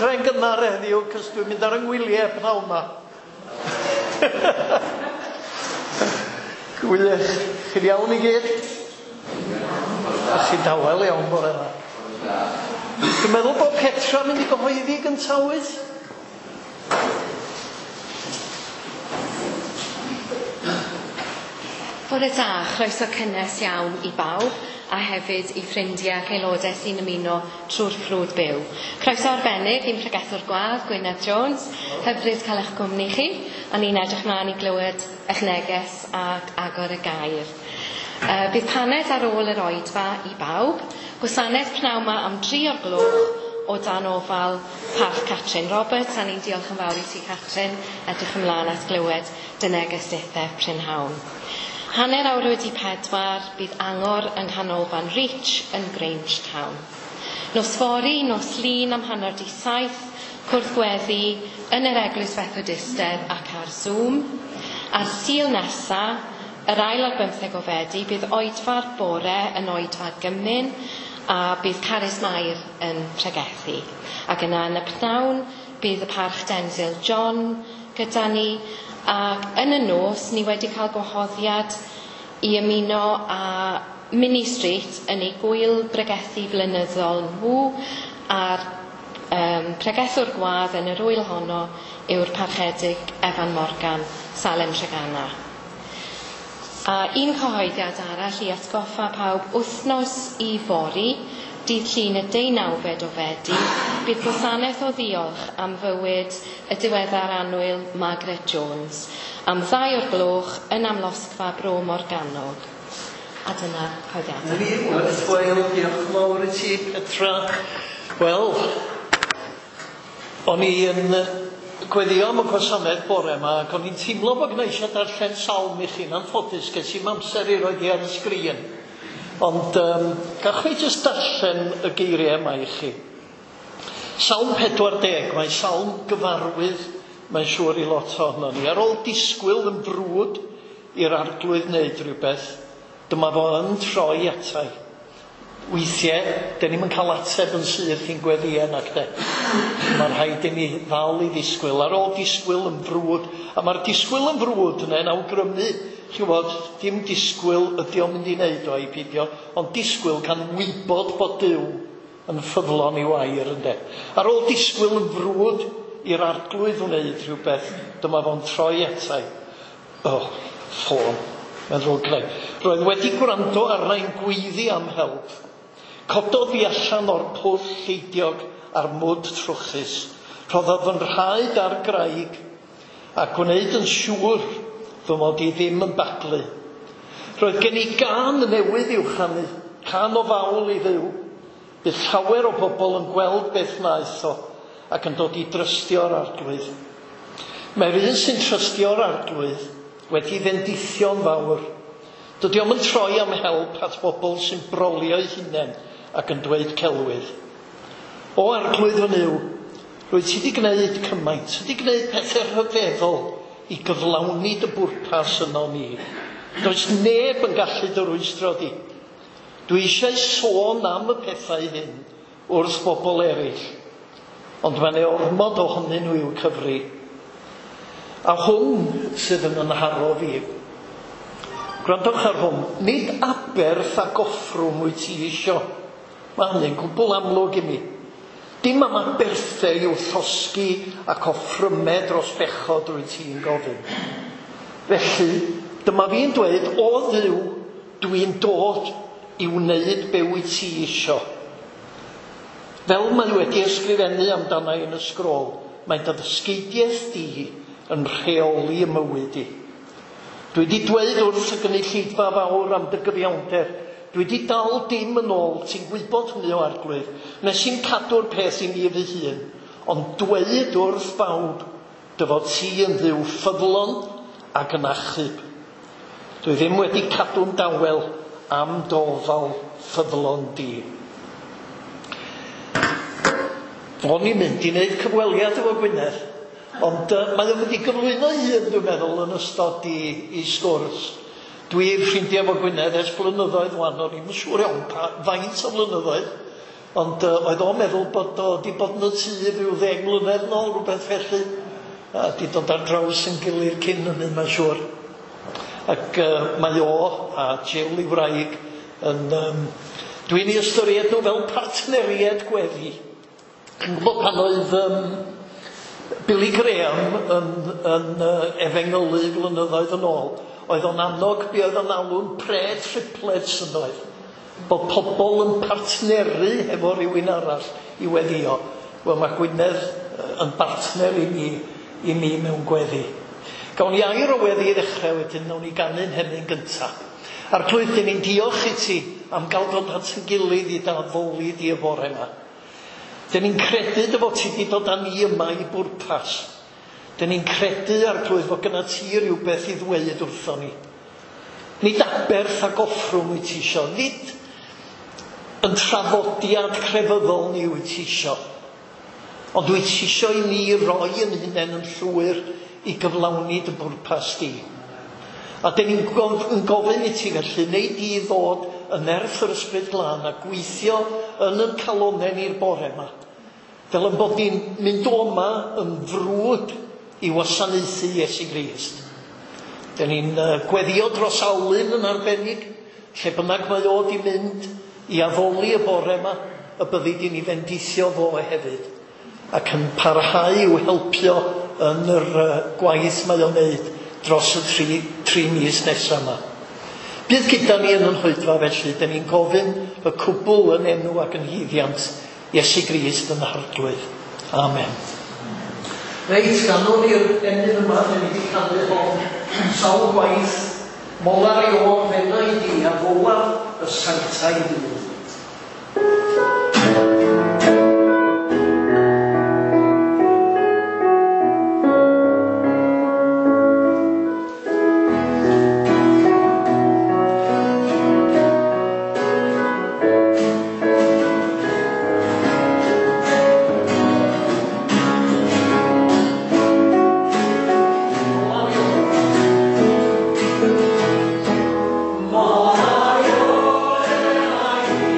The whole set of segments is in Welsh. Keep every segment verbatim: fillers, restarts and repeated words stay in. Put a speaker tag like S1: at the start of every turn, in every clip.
S1: ddechrau'n gynnar heddiw, cos dwi'n mynd ar 'y ngwyliau pnawn 'ma. Gwych. Chi'n iawn i gyd? A chi'n dawel iawn bore yma. Dwi'n meddwl bod Petra yn mynd i gyhoeddi gyntaf, wyt?
S2: Bore da, chroeso cynnes iawn i bawb a hefyd i ffrindiau ac aelodau sy'n ymuno trwy'r ffrwd byw. Croeso arbennig i'n pregethwr gwadd, Gwynedd Jones. Hyfryd cael eich gwmni chi, a ni'n edrych mlaen i glywed eich neges ac agor y gair. Uh, bydd paned ar ôl yr oedfa i bawb. Gwasanaeth pnawn 'ma am dri o'r gloch o dan ofal Parch Catrin Roberts, a ni'n diolch yn fawr i ti, Catrin. Edrych ymlaen at glywed dy neges dithe prynhawn. Hanner awr wedi pedwar, bydd angor yng Nghanolfan Reach yn Grangetown. Nos fory, nos Lun am hanner di saith, cwrdd gweddi yn yr Eglwys Fethodistedd ac ar Zoom. Ar Sul nesa, yr ail ar bymtheg o Fedi, bydd oedfa'r bore yn oedfa gymun a bydd Carys Mair yn pregethu. Ac yna yn y pnawn, bydd y Parch Denzil John gyda ni. Ac yn y nos, ni wedi cael gwahoddiad i ymuno â Minnie Street yn ei gwyl bregethu flynyddol nhw, a'r um, pregethwr gwadd yn yr wyl honno yw'r Parchedig Evan Morgan, Salem Treganna. A un cyhoeddiad arall i atgoffa pawb, wythnos i fory, dydd Llun y deunawfed o Fedi, bydd gwasanaeth o ddiolch am fywyd y diweddar annwyl Margaret Jones, am ddau o'r gloch yn Amlosgfa Bro Morgannwg. A dyna cyhoeddiadau.
S1: Wel, diolch yn fawr i ti, Petra. Wel, o'n i yn gweddio am y gwasanaeth bore yma, ac o'n i'n teimlo bod gynna i eisiau darllen salm i chi'n anffodus, ges i'm amser i roid hi ar y sgrin. Ond um, gach fi jyst darllen y geiriau yma i chi. Salm pedwar deg, mae salm gyfarwydd, mae'n siŵr i lot ohono ni. Ar ôl disgwyl yn frwd i'r Arglwydd wneud rhywbeth, dyma fo yn troi atai. Weithiau, dyn ni'm yn cael ateb yn syth i'n gweddïau nac de. Mae'n rhaid i ni ddal i ddisgwyl. Ar ôl disgwyl yn frwd, a mae'r disgwyl yn frwd yna yn awgrymu, chi'n gwybod, dim disgwyl ydy o'n mynd i wneud o i peidio, ond disgwyl gan wybod bod Duw yn ffyddlon i'w air, ynde. Ar ôl disgwyl yn frwd i'r Arglwydd wneud rhywbeth, dyma fo'n troi atai. Oh, ffôn, mae'n ddrwg gynna i. Roedd wedi gwrando arna i'n gweiddi am help. Cododd fi allan o'r pwll lleidiog a'r mwd trwchus. Rhoddodd fy nhraed ar graig a gwneud yn siŵr fy mod i ddim yn baglu. Roedd gen i gân newydd i'w chanu, cân o fawl i Dduw. Bydd llawer o bobl yn gweld beth wnaeth o ac yn dod i drystio'r Arglwydd. Mae'r un sy'n trystio'r Arglwydd wedi fendithio'n fawr. Dydy o'm yn troi am help at bobl sy'n brolio eu hunain ac yn dweud celwydd. O Arglwydd fy Nuw, rwyt ti wedi gwneud cymaint, ti wedi gwneud pethau rhyfeddol i gyflawni dy bwrpas yno ni. Does neb yn gallu dy rwystro di. Dwi eisiau sôn am y pethau hyn wrth bobl eraill, ond mae'n ei ormod ohonyn nhw i'w cyfri. A hwn sydd yn nharo fi. Gwrandwch ar hwn, nid aberth ac offrwm wyt ti isio. Mae hynny'n gwbl amlwg i mi. Dim am aberthau i'w llosgi ac offrymau dros bechod rwyt ti'n gofyn. Felly, dyma fi'n dweud, o Dduw, dwi'n dod i wneud be wyt ti isio. Fel mae wedi ysgrifennu amdana i yn y sgrôl, mae dy ddysgeidiaeth di yn rheoli y mywyd i. Dwi wedi dweud wrth y gynulleidfa fawr am dy gyfiawnder. Dwi wedi dal dim yn ôl, ti'n gwybod hynny o Arglwydd. Nes i'n cadw'r peth i mi fy hun, ond dweud wrth bawb dy fod ti yn Dduw ffyddlon ac yn achub. Dwi ddim wedi cadw'n dawel am dofal ffyddlon di. O'n i'n mynd i wneud cyfweliad efo Gwynedd, ond uh, mae o'n mynd i gyflwyno hun, dwi'n meddwl, yn ystod i, i sgwrs. Dwi ffrindiau efo Gwynedd ers blynyddoedd wan, o'n i'm yn siŵr iawn pa faint o flynyddoedd. Ond uh, oedd o'n meddwl bod o wedi bod yn y tŷ rhyw ddeg mlynedd nôl, rhywbeth felly. A di dod ar draws yn gilydd cyn hynny, mae'n siŵr. Ac uh, mae o a Jill i wraig yn... Um, dwi'n ei ystyried nhw fel partneriaid gweddi. Chi'n gwybod pan oedd um, Billy Graham yn, yn uh, efengylu flynyddoedd yn ôl, oedd o'n annog be oedd o'n alw'n prayer triplets yn oedd. Bod pobl yn partneru efo rhywun arall i weddio. Wel, mae Gwynedd yn bartner i mi, i mi mewn gweddi. Gawn ni air o weddi i ddechrau wedyn, nawn ni ganu'n hynny'n gyntaf. Arglwydd, dyn ni'n diolch i ti am gael dod at yn gilydd i dy addoli di y bore yma. Dyn ni'n credu dy fod ti wedi dod â ni yma i bwrpas. Dyn ni'n credu, Arglwydd, fod gyda ti rhywbeth i ddweud wrthon ni. Nid aberth ac offrwm wyt ti isio, nid yn traddodiad crefyddol ni wyt ti isio, ond wyt ti isio i ni roi yn hunain yn llwyr i gyflawni dy bwrpas di. A dyn ni'n gofyn i ti felly, neu di ddod yn nerth yr Ysbryd Glân a gweithio yn yn calonnau ni'r bore yma, fel yn bod ni'n mynd o yma yn frwd i wasanaethu Iesu Grist. Dyn ni'n gweddio dros Alun yn arbennig, lle bynnag mae o di mynd i addoli y bore yma, y byddi di'n ei fendithio fo hefyd, ac yn parhau i'w helpio yn yr gwaith mae o'n wneud dros y tri, tri mis nesaf yma. Bydd gyda ni yn yn hoedfa felly, dyn ni'n gofyn y cwbl yn enw ac yn haeddiant Iesu Grist yn Arglwydd. Amen. Reit, ganwn ni'r emyn yma, dyn ni wedi canu hon sawl gwaith, molar i o'r fenau di a folar y sanctaidd ddydd.
S3: Molar i o'r fenau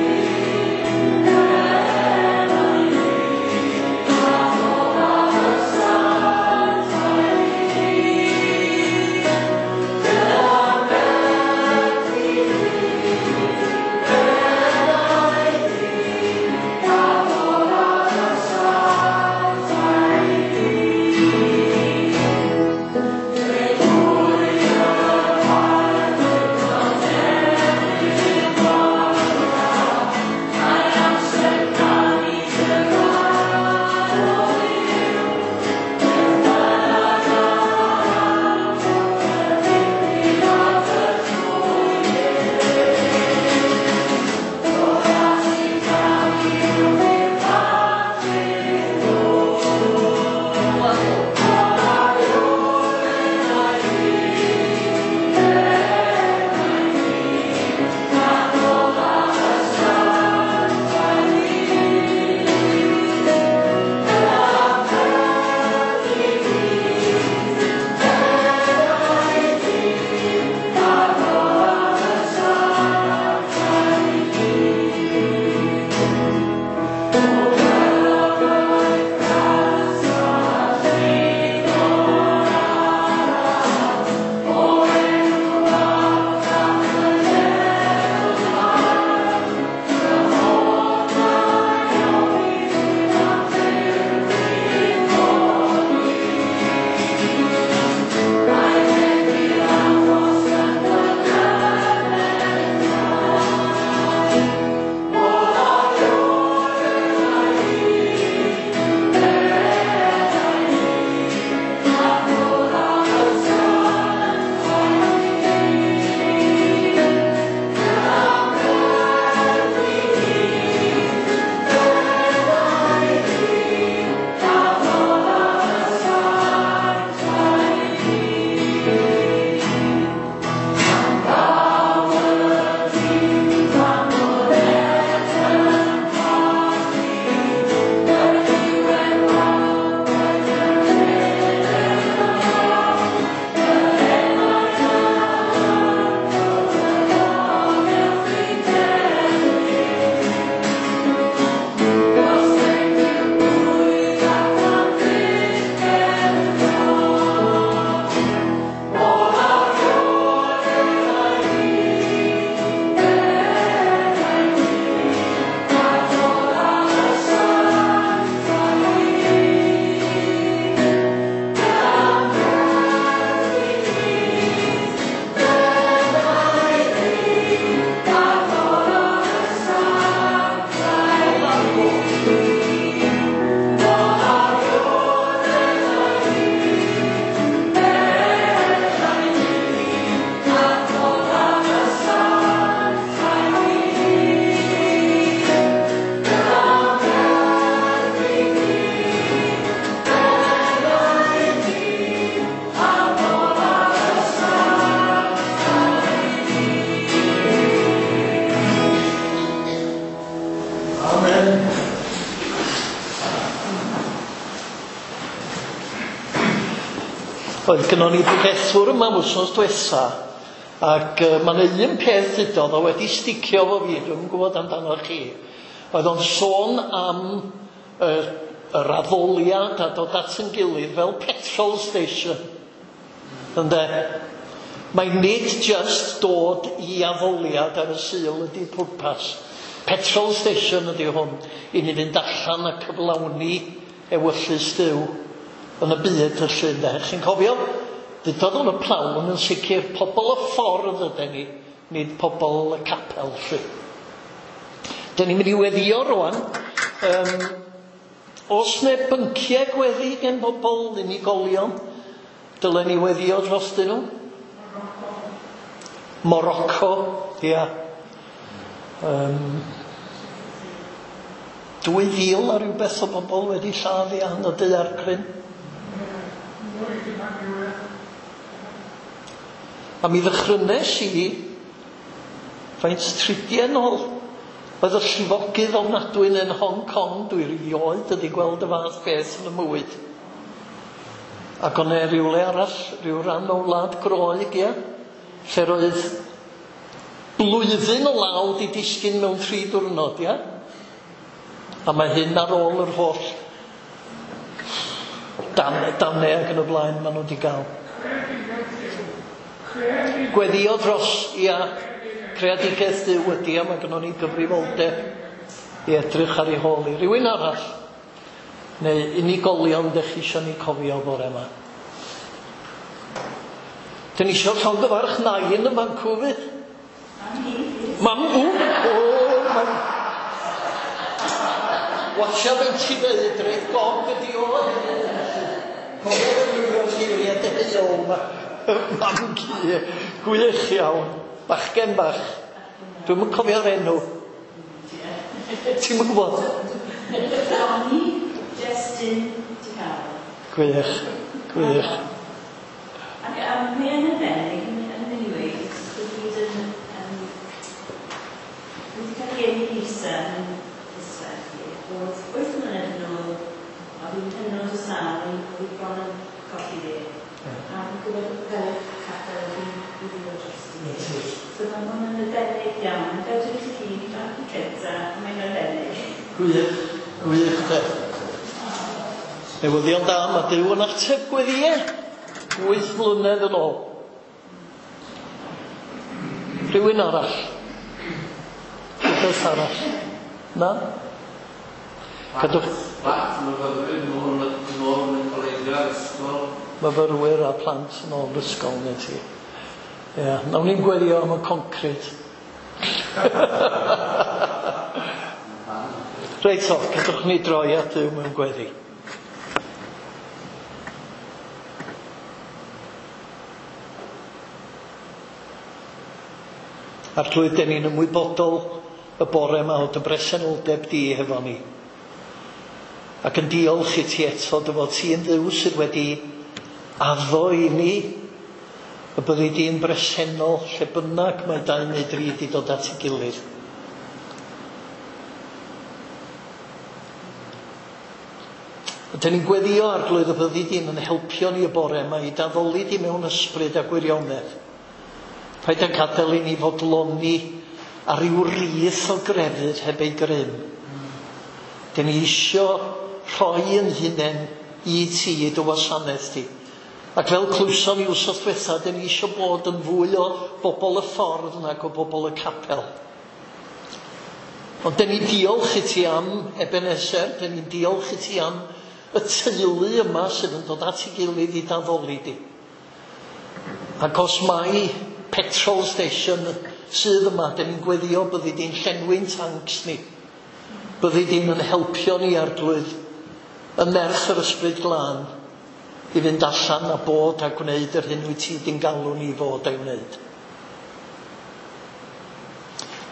S1: Oedd gynnon ni bregethwr yma wythnos diwetha, ac uh, mae yna un peth ddudodd o wedi sticio efo fi, dwi'm yn gwybod amdano chi. Oedd o'n sôn am uh, yr addoliad a dod at yn gilydd fel petrol station. Ynde? Mae nid just dod i addoliad ar y Sul ydy pwrpas. Petrol station ydy hwn, i ni fynd allan a cyflawni ewyllys Duw yn y byd felly, ynde. Chi'n cofio? Ddudodd o'n y plawn yn sicr, pobl y ffordd ydyn ni, nid pobl y capel lly. Dyn ni'n mynd i weddio rwan. Um, os ne bynciau gweddi gen bobl unigolion, dylen ni weddio drostyn nhw. Morocco, ia. Um, dwy fil a rhywbeth o bobl wedi lladd ia, yn y daeargryn. A mi ddychrynes i faint tridiau nôl. Oedd y llifogydd ofnadwy yn Hong Kong, dwi rioed wedi gweld y fath beth yn y mywyd. Ac o'n e rywle arall, rhyw ran o wlad Groeg, ia, lle roedd blwyddyn o law di disgyn mewn tri diwrnod, ia. A mae hyn ar ôl yr holl dan, danau ac yn y blaen maen nhw wedi gael. Gweddio dros, ia, creadigaeth Duw ydi, a mae gynnon ni gyfrifoldeb i edrych ar ei hôl i. Rhywun arall, neu unigolion dych chi isio ni cofio bore yma. Dyn ni isio llongyfarch nain yn fancw fyd. Mam, o, o, mam. Watcha fe'n ti ddeud, reit gog ydi o hefyd. Cofio ddefnyddio'r geiriau deheuol yma. Mam ci, gwych iawn. Bachgen bach. Dwi'm yn cofio'r enw. Ti'm yn gwybod?
S3: Donny Justin DiCaro.
S1: Gwych, gwych.
S3: Ac um, mae yn arbennig yn, yn many ways, bod yn, um, wedi cael ei geni Lisa yn Israel, bod wyth mlynedd yn ôl, oedd hi'n hynod o sâl, oedd hi bron yn colli fi. A fi'n gwybod fel y capel oedd hi'n gwylio drosti. So mae hwn yn arbennig iawn. Fel dwi'n chi, bach i cynta, mae'n arbennig.
S1: Gwych, gwych de. Newyddion da, mae Duw yn ateb gweddïau. Wyth mlynedd yn ôl. Rhywun arall? Rhywbeth arall? Na? Cadwch...
S4: Plant, myfyrwyr, nôl nôl yn y colegau, ysgol.
S1: Myfyrwyr a plant yn ôl ysgol, neu ti. Ie, nawn ni'n gweddio am y concret. Reit o, cadwch ni droi at Dduw mewn gweddi. Arglwydd, den ni'n ymwybodol y bore yma o dy bresenoldeb di hefo ni. Ac yn diolch i ti eto dy fod ti yn Dduw sydd wedi addo i ni y byddi di'n bresennol lle bynnag mae dau neu dri di dod at ei gilydd. A dyn ni'n gweddio, Arglwydd, y byddi di'n yn helpio ni y bore yma i daddoli di mewn ysbryd a gwirionedd. Paid â gadael i ni fodloni ar ryw rith o grefydd heb ei grym. Dyn ni isio rhoi yn hunain i ti, i dy wasanaeth di. Ac fel clywson ni wsos diwetha, dyn ni isio bod yn fwy o bobl y ffordd nag o bobl y capel. Ond dyn ni diolch i ti am Ebenezer, dyn ni'n diolch i ti am y teulu yma sydd yn dod at ei gilydd i daddoli di. Ac os mai petrol station sydd yma, dyn ni'n gweddio byddi di'n llenwi'n tanks ni. Byddi di'n yn helpio ni, Arglwydd, yn nerth yr Ysbryd Glân, i fynd allan a bod a gwneud yr hyn wyt ti di'n galw ni fod a'i wneud.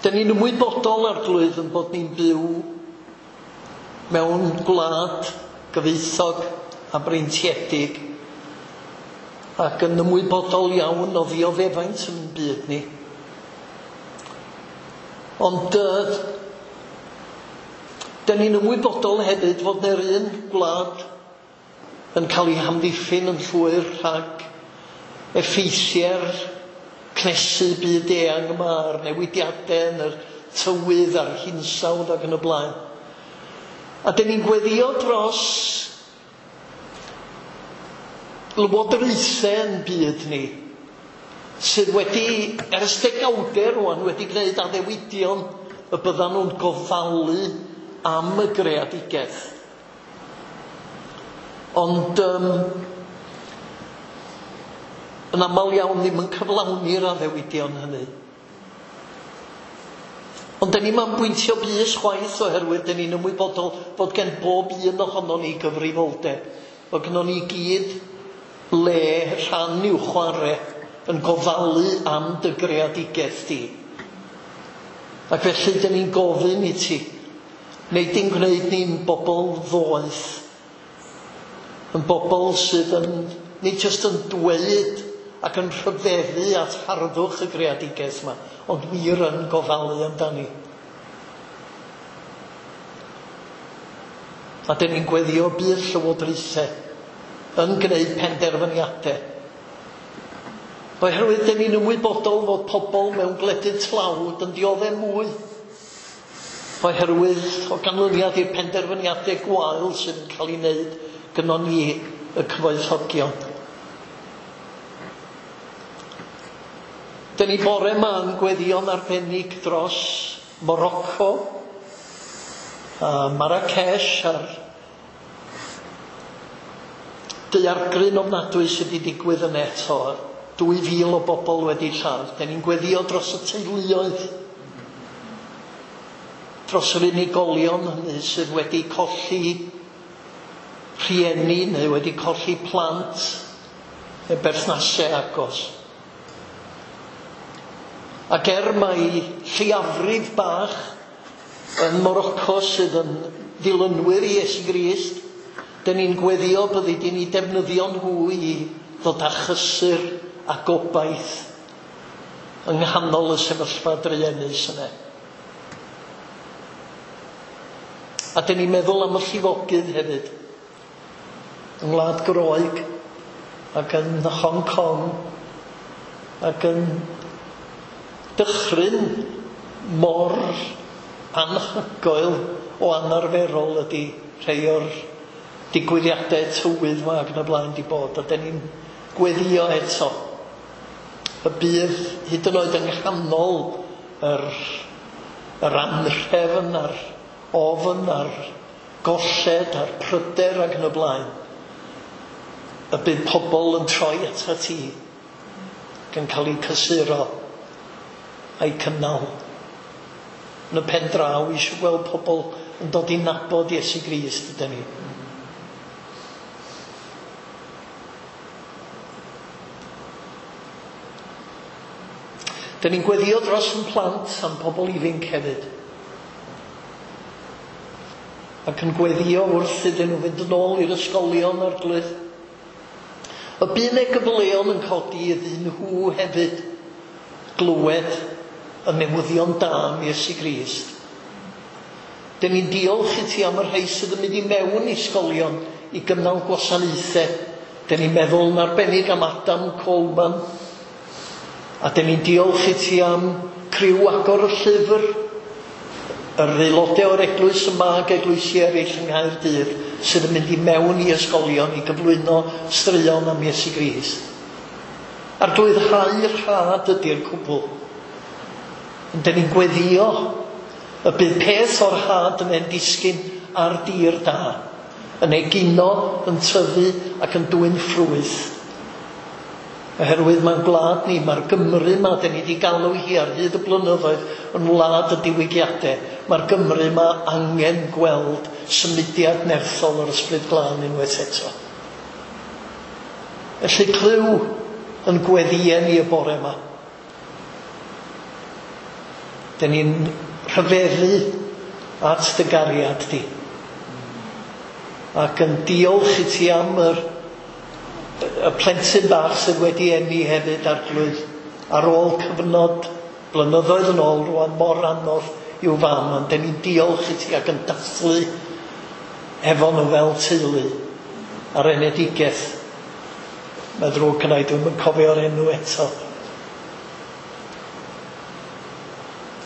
S1: Dyn ni'n ymwybodol, Arglwydd, yn bod ni'n byw mewn gwlad gyfoethog a breintiedig ac yn ymwybodol iawn o ddioddefaint yn byd ni. Ond uh, dyn ni'n ymwybodol hefyd fod na'r un gwlad yn cael ei hamddiffyn yn llwyr rhag effeithiau'r cnesu byd eang yma, a'r newidiadau yn yr tywydd a'r hinsawdd ac yn y blaen. A dyn ni'n gweddio dros lywodraethau yn byd ni, sydd wedi, ers degawdau rwan, wedi gwneud addewidion y byddan nhw'n gofalu am y greadigaeth. Ond um, yn aml iawn ddim yn cyflawni'r addewidion hynny. Ond dyn ni'm am bwyntio bys chwaith oherwydd dyn ni'n ymwybodol fod gen bob un ohonon ni gyfrifoldeb. Fod gynnon ni gyd le rhan i'w chwarae yn gofalu am dy greadigaeth di. Ac felly dyn ni'n gofyn i ti, neu di'n gwneud ni'n bobl ddoeth, yn bobl sydd yn, nid jyst yn dweud ac yn rhyfeddu at harddwch y greadigaeth yma, ond wir yn gofalu amdani. A dyn ni'n gweddio bydd llywodraethau yn gwneud penderfyniadau. Oherwydd dyn ni'n ymwybodol fod pobl mewn gwledydd tlawd yn dioddef mwy. Oherwydd o ganlyniad i'r penderfyniadau gwael sydd yn cael ei wneud gynnon ni y cyfoethogion. Dyn ni bore yma yn gweddïo'n arbennig dros Morocco, a Marrakesh a'r daeargryn ofnadwy sydd wedi digwydd yn eto. Dwy fil o bobl wedi lladd. Dyn ni'n gweddio dros y teuluoedd, dros yr unigolion hynny sydd wedi colli rhieni neu wedi colli plant neu berthnasau agos. Ac er mai lleiafrif bach yn Morocco sydd yn ddilynwyr i Iesu Grist, dyn ni'n gweddio byddi di'n eu defnyddio nhw i ddod â chysur a gobaith yng nghanol y sefyllfa druenus yna. A dyn ni'n meddwl am y llifogydd hefyd, yng Ngwlad Groeg ac yn Hong Kong ac yn dychryn mor anhygoel o anarferol ydy rhai o'r digwyddiadau tywydd yma ac yn y blaen di bod, a dyn ni'n gweddio eto y bydd hyd yn oed yng nghanol yr, yr anrhefn a'r ofn a'r golled a'r pryder ac yn y blaen, y bydd pobl yn troi atat ti ac yn cael eu cysuro a'i cynnal. Yn y pen draw eisiau gweld pobl yn dod i nabod Iesu Grist ydyn ni. Dyn ni'n gweddio dros yn plant a'n pobl ifanc hefyd. Ac yn gweddio wrth iddyn nhw fynd yn ôl i'r ysgolion Arglwydd. Y bydd eu gyfleon yn codi iddyn nhw hefyd glywed y newyddion da am Iesu Grist. Dyn ni'n diolch i ti am y rhai sydd yn mynd i mewn i ysgolion i gynnal gwasanaethau. Dyn ni'n meddwl yn arbennig am Adam Coleman. A dyn ni'n diolch i ti am criw agor y llyfr, yr aelodau o'r eglwys yma ac eglwysi eraill yng Nghaerdydd sydd yn mynd i mewn i ysgolion i gyflwyno straeon am Iesu Grist. Arglwydd, rhai rhad ydy'r cwbl. Ond dyn ni'n gweddio y bydd peth o'r had yn ein disgyn ar dir da, yn egino, yn tyfu ac yn dwyn ffrwyth. Oherwydd mae'n gwlad ni, mae'r Gymru yma, dyn ni wedi galw hi ar hyd y blynyddoedd yn wlad y diwygiadau. Mae'r Gymru yma angen gweld symudiad nerthol o'r Ysbryd Glân unwaith eto. Felly clyw yn gweddïau ni y bore yma. Dyn ni'n rhyfeddu at dy gariad di. Ac yn diolch i ti am yr y plentyn bach sydd wedi eni hefyd, Arglwydd, ar ôl cyfnod blynyddoedd yn ôl rwan mor anodd i'w fam, ond dyn ni'n diolch i ti ac yn dathlu efo nhw fel teulu. ar enedigaeth. Mae ddrwg gynna i, dwi'm yn cofio'r enw eto.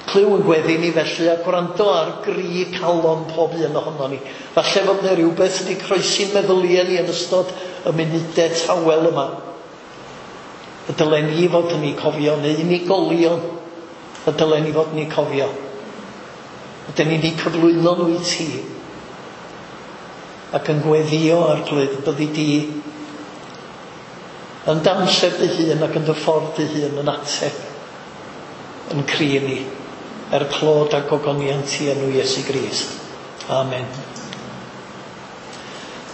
S1: Clyw yn gweddi ni felly a gwrando ar gri calon pob un ohono ni. Falle fod yna rhywbeth wedi croesi'n meddyliau ni yn ystod y munudau tawel yma. Y dylen ni fod yn ei cofio, neu unigolion y dylen ni fod yn ei cofio. Ydyn ni'n ei cyflwyno nhw i ti ac yn gweddio, Arglwydd, byddi di yn d'amser dy hun ac yn dy ffordd dy hun yn ateb yn cri ni er clod a gogoniant i enw Iesu Grist. Amen.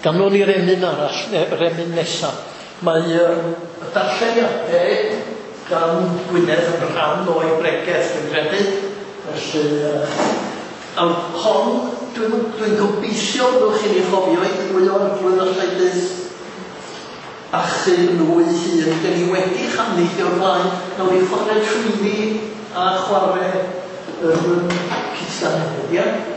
S1: Ganwn ni'r emyn arall, yr emyn nesaf. Mae um, y darlleniadau gan Gwynedd yn rhan o'i bregeth, dwi'n credu. Felly, uh, a hon, dwi'n dwi gobeithio byddwch chi'n ei chofio i ddwy o'r Arglwydd allai byth achub nhw ei hun. Dyn ni wedi chanu hi o'r blaen. Nawn ni chwarae trwyddi a chwarae yr um, cytsan hefyd, ia?
S5: Ti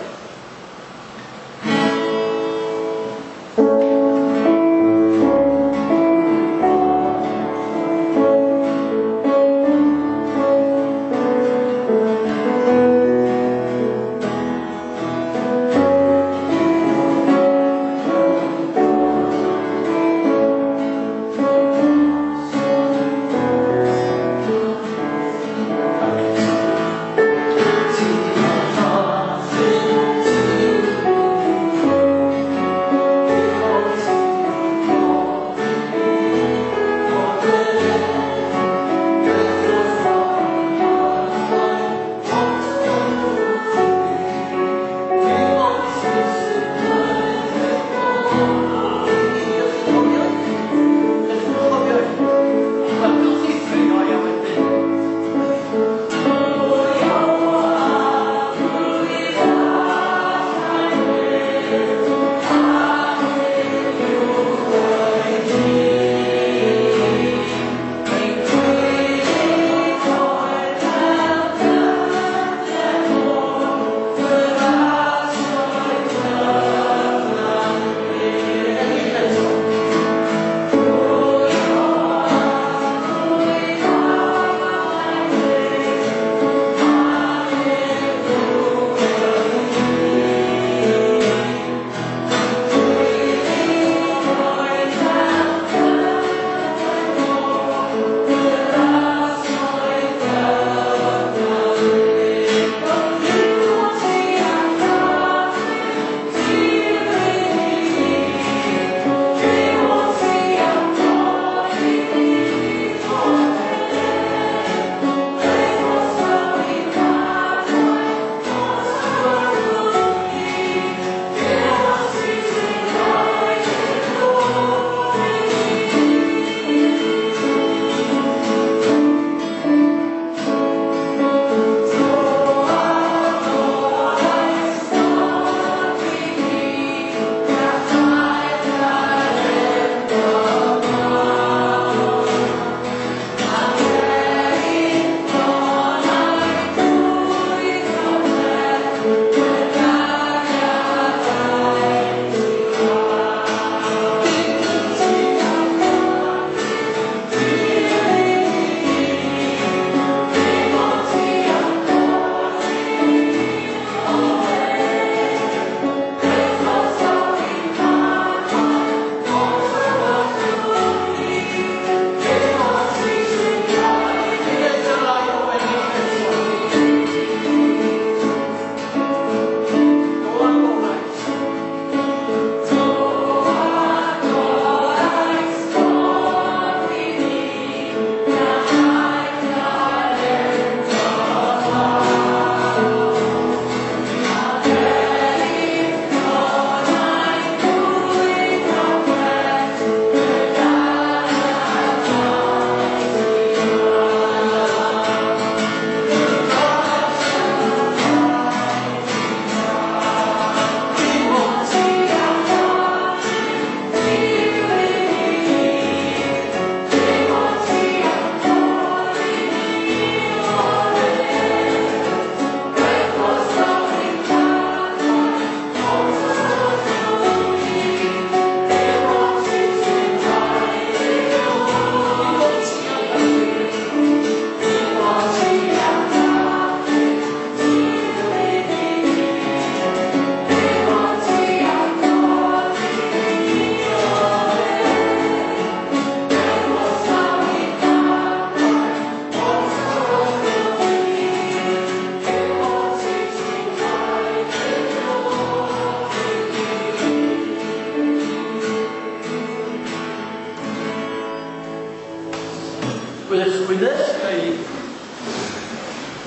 S1: Gwych, Gwyneth, ga i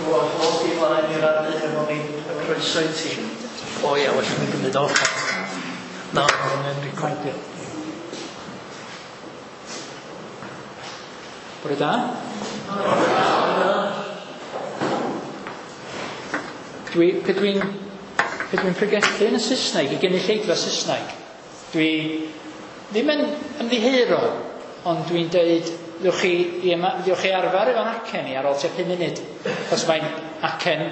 S1: wahodd i flaen i rannu efo ni. Croeso i ti. O ia, well mi gymryd off. Na, mae'n recordio.
S5: Bore da.
S1: Bore da.
S5: Dwi, pe dwi'n pe dwi'n pregethu yn y Saesneg, i gynulleidfa Saesneg, dwi ddim yn ymddiheuro, ond dwi'n deud, ddewch chi, i yma, ddewch chi arfer efo'n acen i ar ôl tua pum munud, achos mae'n acen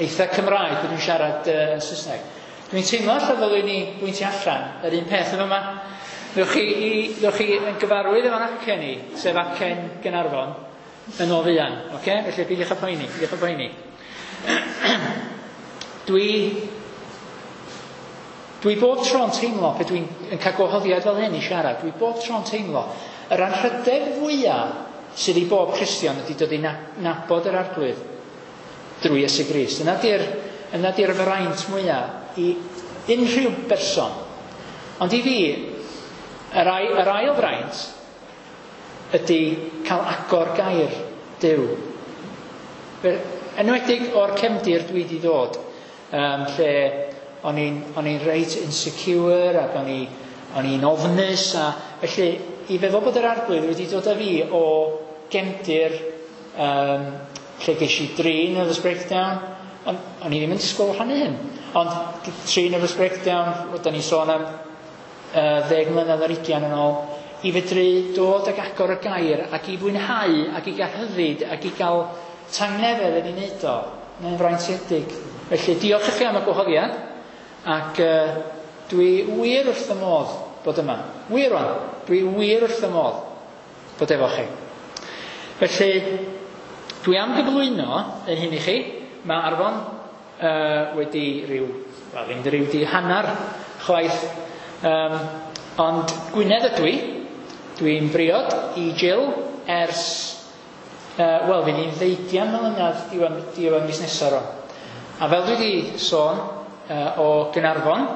S5: eitha Cymraeg pan dwi'n siarad uh, yn Saesneg. Dwi'n teimlo allan ddylwn ni bwyntio allan yr un peth yn yma. Ddewch chi, i, ddewch chi yn gyfarwydd efo'n acen i, sef acen Gaernarfon, yn ôl fuan, oce? Felly peidiwch â poeni, peidiwch â poeni. Dwi, dwi bob tro'n teimlo, pe dwi'n yn cael gwahoddiad fel hyn i siarad, dwi bob tro'n teimlo, yr anrhydedd fwyaf sydd i bob Cristion ydy dod i nabod yr Arglwydd drwy Iesu Grist. Yna di'r, yna di'r fraint mwyaf i unrhyw berson. Ond i fi, yr, ai, yr ail fraint ydy cael agor gair Duw. Enwedig o'r cefndir dwi wedi ddod, um, lle o'n i'n, o'n i'n reit insecure ac o'n i, o'n i'n ofnus, a felly i feddwl bod yr Arglwydd wedi dod â fi o gefndir um, lle ges i dri nervous breakdown, ond o'n i ddim yn disgwyl rhannu hyn, ond tri nervous breakdown, da ni'n sôn am uh, ddeg mlynedd ar ugian yn ôl, i fedru dod ac agor y gair ac i fwynhau ac i gael rhyddid ac i gael tangnefedd yn ei wneud o, mae'n fraintiedig. Felly diolch i chi am y gwahoddiad, ac uh, dwi wir wrth y modd bod yma. Wir rwan, dwi wir wrth y modd bod efo chi. Felly, dwi am gyflwyno yn hyn i chi. Mae Arfon uh, wedi rhyw, wel ddim rhyw di hanner chwaith, um, ond Gwynedd ydw i. Dwi'n briod i Jill ers, uh, wel, fydd ni'n ddeugian mlynedd diwedd, diwedd mis nesaf rwan. A fel dwi wedi sôn uh, o Gaernarfon,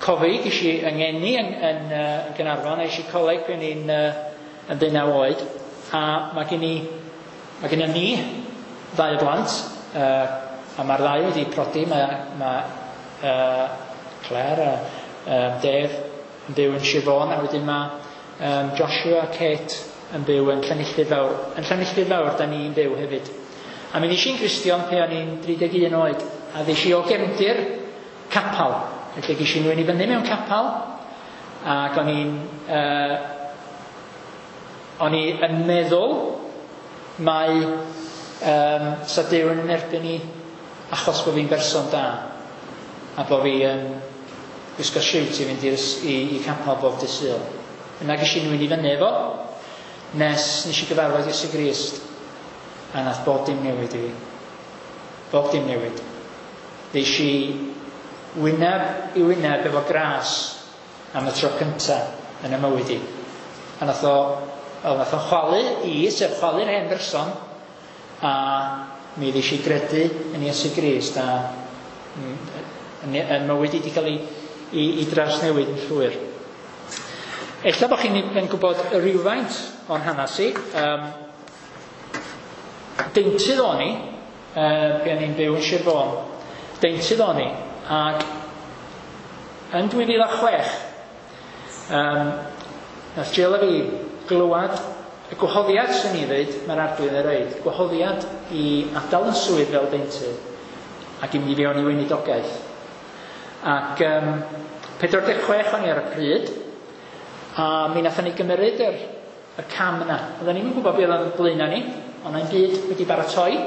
S5: cofi, ges i yng ngeni yn, yn, uh, yn Gaernarfon, a es i coleg pan i'n uh, yn deunaw oed, a mae gen i, mae gen i ni ddau o blant, uh, a mae'r ddau wedi prodi, mae, mae uh, Claire a um, Dave yn byw yn Sir Fôn, a wedyn mae um, Joshua a Kate yn byw yn Llanilltud Fawr. Yn Llanilltud Fawr, da ni'n byw hefyd. A mi ddes i'n Gristion pe o'n i'n dri deg un oed, a ddes i o gefndir capal. Felly ges i nwyn i fyny mewn capal, ac o'n i'n uh, o'n i yn meddwl mai um, sa Duw yn erbyn i achos bod fi'n berson da, a bod fi yn gwisgo siwt i fynd i'r, i, i capal bob dydd Sul. Yna ges i nwyn i fyny efo, nes nes i gyfarfod Iesu Grist, a nath bob dim newid i fi. Bob dim newid. Ddes i wyneb i wyneb efo gras am y tro cynta yn y mywyd i. A nath o, wel, nath o chwalu i, sef chwalu'r hen berson, a mi ddes i gredu yn Iesu Grist, a yn, yn mywyd i wedi cael ei, i, i drawsnewid yn llwyr. Ella bod chi'n yn gwybod rhywfaint o'n hanes i. Um, deintydd o'n i, uh, pan o'n i'n byw yn Sir Fôn. Deintydd o'n i, ac yn dwy fil a chwech, um, nath Jill a fi glywad y gwahoddiad, sy'n ni ddweud, mae'r Arglwydd yn ei roid, gwahoddiad i adael yn swydd fel deintydd ac i mynd i fewn i weinidogaeth. Ac um, pedwar deg chwech o'n i ar y pryd, a mi nathon ni gymryd yr, y cam yna. Oedden ni'm yn gwybod beth oedd yn blaenau ni, ond na'n byd wedi baratoi,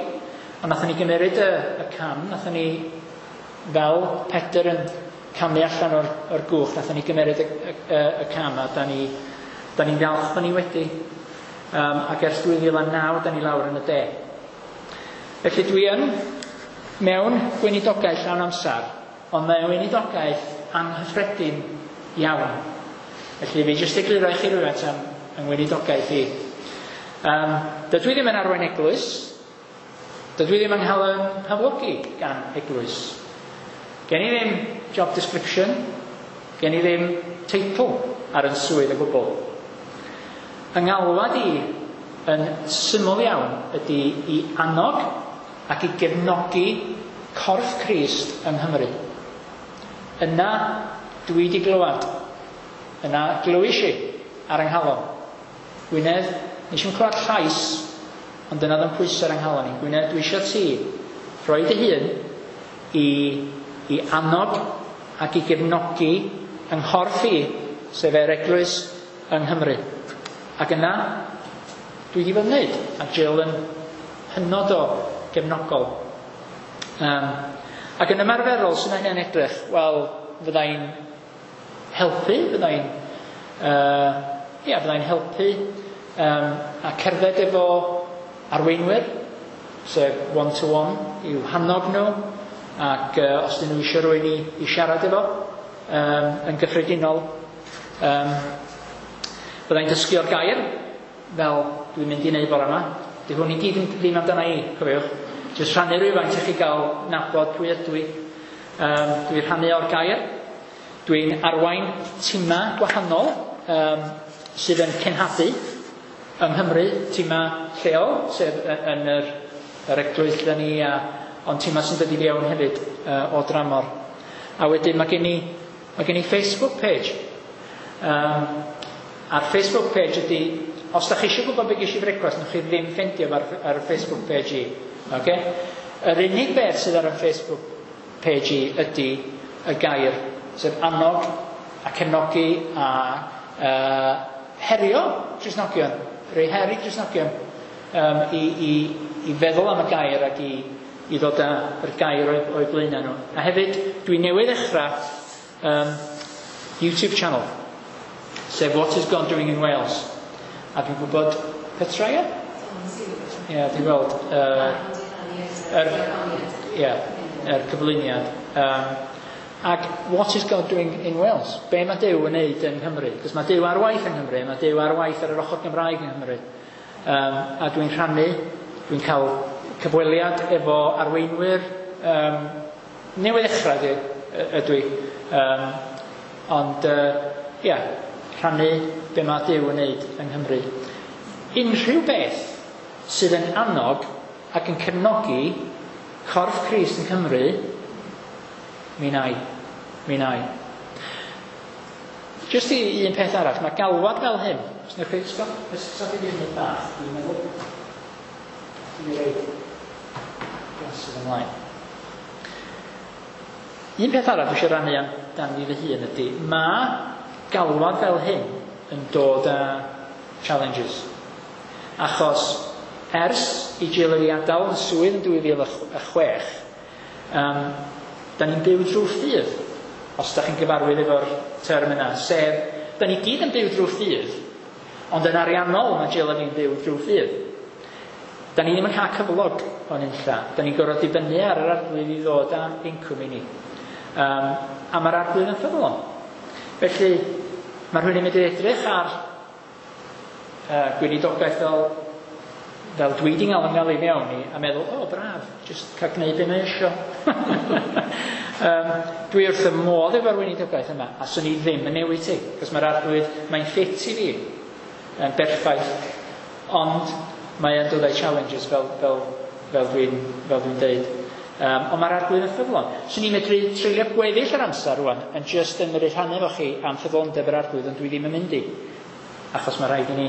S5: ond nathon ni gymryd y, y cam, nathon ni fel Pedr yn camu allan o'r, o'r gwch, nathon ni gymryd y, y, y, y cam, a da ni, da ni'n falch bod ni wedi. Um, ac ers dwy fil a naw, da ni lawr yn y de. Felly dwi yn mewn gweinidogaeth llawn amser, ond mae'n weinidogaeth anghyffredin iawn. Felly fi jyst egluro i chi rhywfaint am yng ngweinidogaeth i. Um, dydw i ddim yn arwain eglwys, dydw i ddim yn cael yn haflogi gan eglwys. Gen i ddim job description, gen i ddim teitl ar yn swydd o gwbl. Yng ngalwad i yn syml iawn ydy i annog ac i gefnogi corff Crist yng Nghymru. Yna dwi wedi glywed, yna glywis i ar yng nghalon. Gwynedd, nes i'm clywed llais, ond dyna oedd yn pwysau ar yng nghalon i. Gwynedd, dwi eisiau ti rhoi dy hun i, i annog ac i gefnogi yng nghorff i, sef yr eglwys yng Nghymru. Ac yna, dwi wedi bod yn wneud, a Jill yn hynod o gefnogol. Um, ac yn ymarferol, sy'n hynny'n edrych, wel, fyddai'n helpu, fyddai'n uh, ia, fyddai'n helpu um, a cerdded efo arweinwyr, sef one-to-one, i'w hannog nhw, ac uh, os dyn nhw eisiau rhywun i, i siarad efo, um, yn gyffredinol. Um, byddai'n dysgu o'r gair, fel dwi'n mynd i wneud bore yma. Di hwn i gyd ddim amdana i, cofiwch. Jyst rhannu rhywfaint i chi gael nabod pwy ydw i. Um, dwi'n rhannu o'r gair. Dwi'n arwain tima gwahanol um, sydd yn cenhadu yng Nghymru, tima lleol, sef yn yr, yr eglwys lle ni, a, ond tima sy'n dod i fewn hefyd uh, o dramor. A wedyn mae gen i, mae gen i Facebook page. Um, a'r Facebook page ydy, os da chi eisiau gwybod beth ges i brecwast, newch chi ddim ffeindio ar, ar y Facebook page i. Okay? Yr unig beth sydd ar y Facebook page i ydy y gair, sef annog a cefnogi a uh, herio Cristnogion, rhoi her i Cristnogion um, i, i, i feddwl am y gair ac i, i ddod â'r gair o'i, o'i blaenau nhw. A hefyd, dwi newydd ddechrau um, YouTube channel, sef What is God Doing in Wales. A dwi'n gwybod Petra, ie? Ie, dwi'n gweld uh, yr, ie, yr cyflwyniad. Um, ac what is God doing in Wales? Be mae Duw yn neud yng Nghymru? Cos mae Duw ar waith yng Nghymru, mae Duw ar waith ar yr ochr Gymraeg yng Nghymru. Um, a dwi'n rhannu, dwi'n cael cyfweliad efo arweinwyr um, newydd ddechrau ydw i. Um, ond, uh, ia, rhannu be mae Duw yn neud yng Nghymru. Unrhyw beth sydd yn annog ac yn cefnogi corff Crist yng Nghymru, mi na i. Mi na i. Jyst i un peth arall, mae galwad fel hyn. Os newch chi, stop, stop i fi un bach, dwi'n meddwl. Dwi'n rhaid glasses ymlaen. Un peth arall dwi eisiau rannu amdan fi fy hun ydy, mae galwad fel hyn yn dod â challenges. Achos ers i Jill i adael yn swydd yn dwy fil a chwech, um, da ni'n byw drwy ffydd, os da chi'n gyfarwydd efo'r term yna, sef, da ni gyd yn byw drwy ffydd, ond yn ariannol mae Jill a fi'n byw drwy ffydd. Da ni ddim yn cael cyflog o'n unlla. Da ni'n gorfod dibynnu ar yr arglwydd i ddod â incwm i ni. Um, a mae'r arglwydd yn ffyddlon. Felly, mae rhywun yn mynd i edrych ar uh, gweinidogaeth fel, fel dwi di gael yngael i fewn i a meddwl, o, oh, braf, jyst cael gwneud be mae eisiau. um, dwi wrth y modd efo'r weinidogaeth yma, a swn i ddim yn newid ti, cos mae'r arglwydd, mae'n ffit i fi, yn berffaith, ond mae yn dod â'i challenges fel, fel, fel dwi'n fel dwi'n deud. Um, ond mae'r arglwydd yn ffyddlon. Swn i'n medru treulio gweddill yr amser rwan yn just yn medru rhannu efo chi am ffyddlondeb yr arglwydd, ond dwi ddim yn mynd i. Achos mae rhaid i ni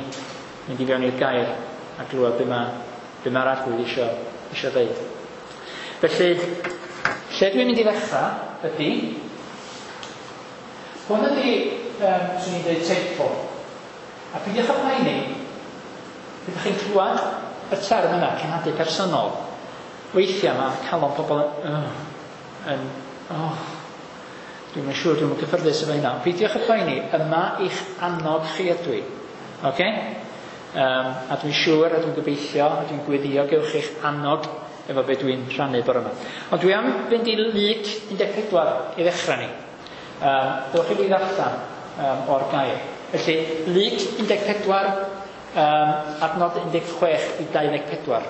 S5: mynd i fewn i'r gair a glywed be mae, be mae'r arglwydd isio, isio ddeud. Felly, lle dwi'n mynd i ddechrau ydy, hwn ydy, um, swn i'n dweud, teitl. A peidiwch â poeni, byddwch chi'n clywed y term yna, cenhadu personol. Weithiau mae calon pobl yn, oh, yn oh, dwi'n yn siŵr, dwi'n yn gyffyrddus efo hynna. Peidiwch â poeni, yma i'ch annog chi ydw i. Okay? Um, a dwi'n siŵr, a dwi'n gobeithio, a dwi'n gweddio gewch chi'ch annog efo be dwi'n rhannu bore yma. Ond dwi am fynd i Luc un deg pedwar i ddechrau ni. Um, dewch i fi ddarllen um, o'r gair. Felly, Luc un deg pedwar, um, adnod un deg chwech i dau ddeg pedwar.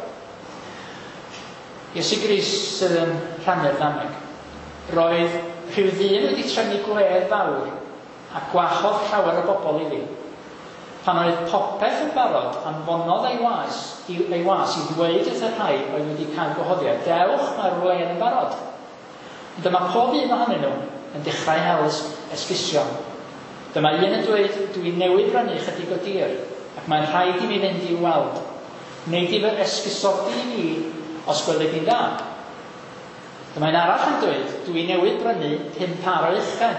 S5: Iesu Grist sydd yn rhannu'r ddameg. Roedd rhyw ddyn wedi trefnu gwledd fawr a gwahodd llawer o bobl iddi. Pan oedd popeth yn barod, anfonodd ei was, ei was i ddweud wrth y rhai oedd wedi cael gwahoddiad, dewch, mae'r wledd yn barod. Ond dyma pob un ohonyn nhw yn dechrau hel esgusion. Dyma un yn dweud, dwi newydd brynu chydig o dir, ac mae'n rhaid i mi fynd i'w weld. Wnei di fy esgusodi i mi os gweli di'n dda. Dyma un arall yn dweud, dwi newydd brynu pum par o uchen,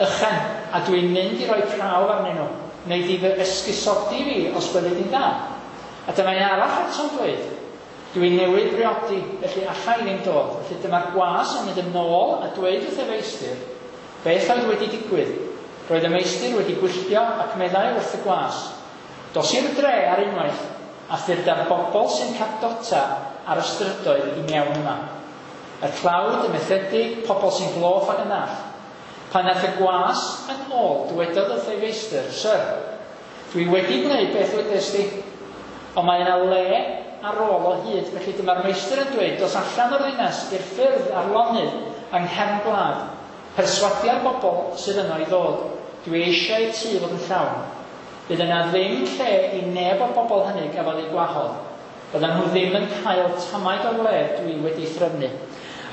S5: ychen, a dwi'n mynd i roi prawf arnyn nhw. Wnei di fy esgusodi fi os gweli di'n dda. A dyma un arall eto'n dweud, dwi newydd briodi, felly alla i ddim dod. Felly dyma'r gwas yn mynd yn ôl a dweud wrth y feistr, beth oedd wedi digwydd. Roedd y meistr wedi gwylltio ac meddai wrth y gwas, dos i'r dre ar unwaith a ffyrdd bobl sy'n cardota ar y strydoedd i mewn yma. Y tlawd, y methedig, pobl sy'n gloff ac yn ddall. Pan nath y gwas yn ôl, dywedodd wrth ei feistr, Syr, dwi wedi gwneud beth wedes di, ond mae yna le ar ôl o hyd, felly dyma'r meistr yn dweud, dos allan o'r ddinas i'r ffyrdd a'r lonydd yng nghefn gwlad, perswadia'r bobl sydd yno i ddod. Dwi eisiau tŷ fod yn llawn. Bydd yna ddim lle i neb o'r bobl hynny gafodd eu gwahodd. Byddan nhw ddim yn cael tamaid o'r le dwi wedi threfnu.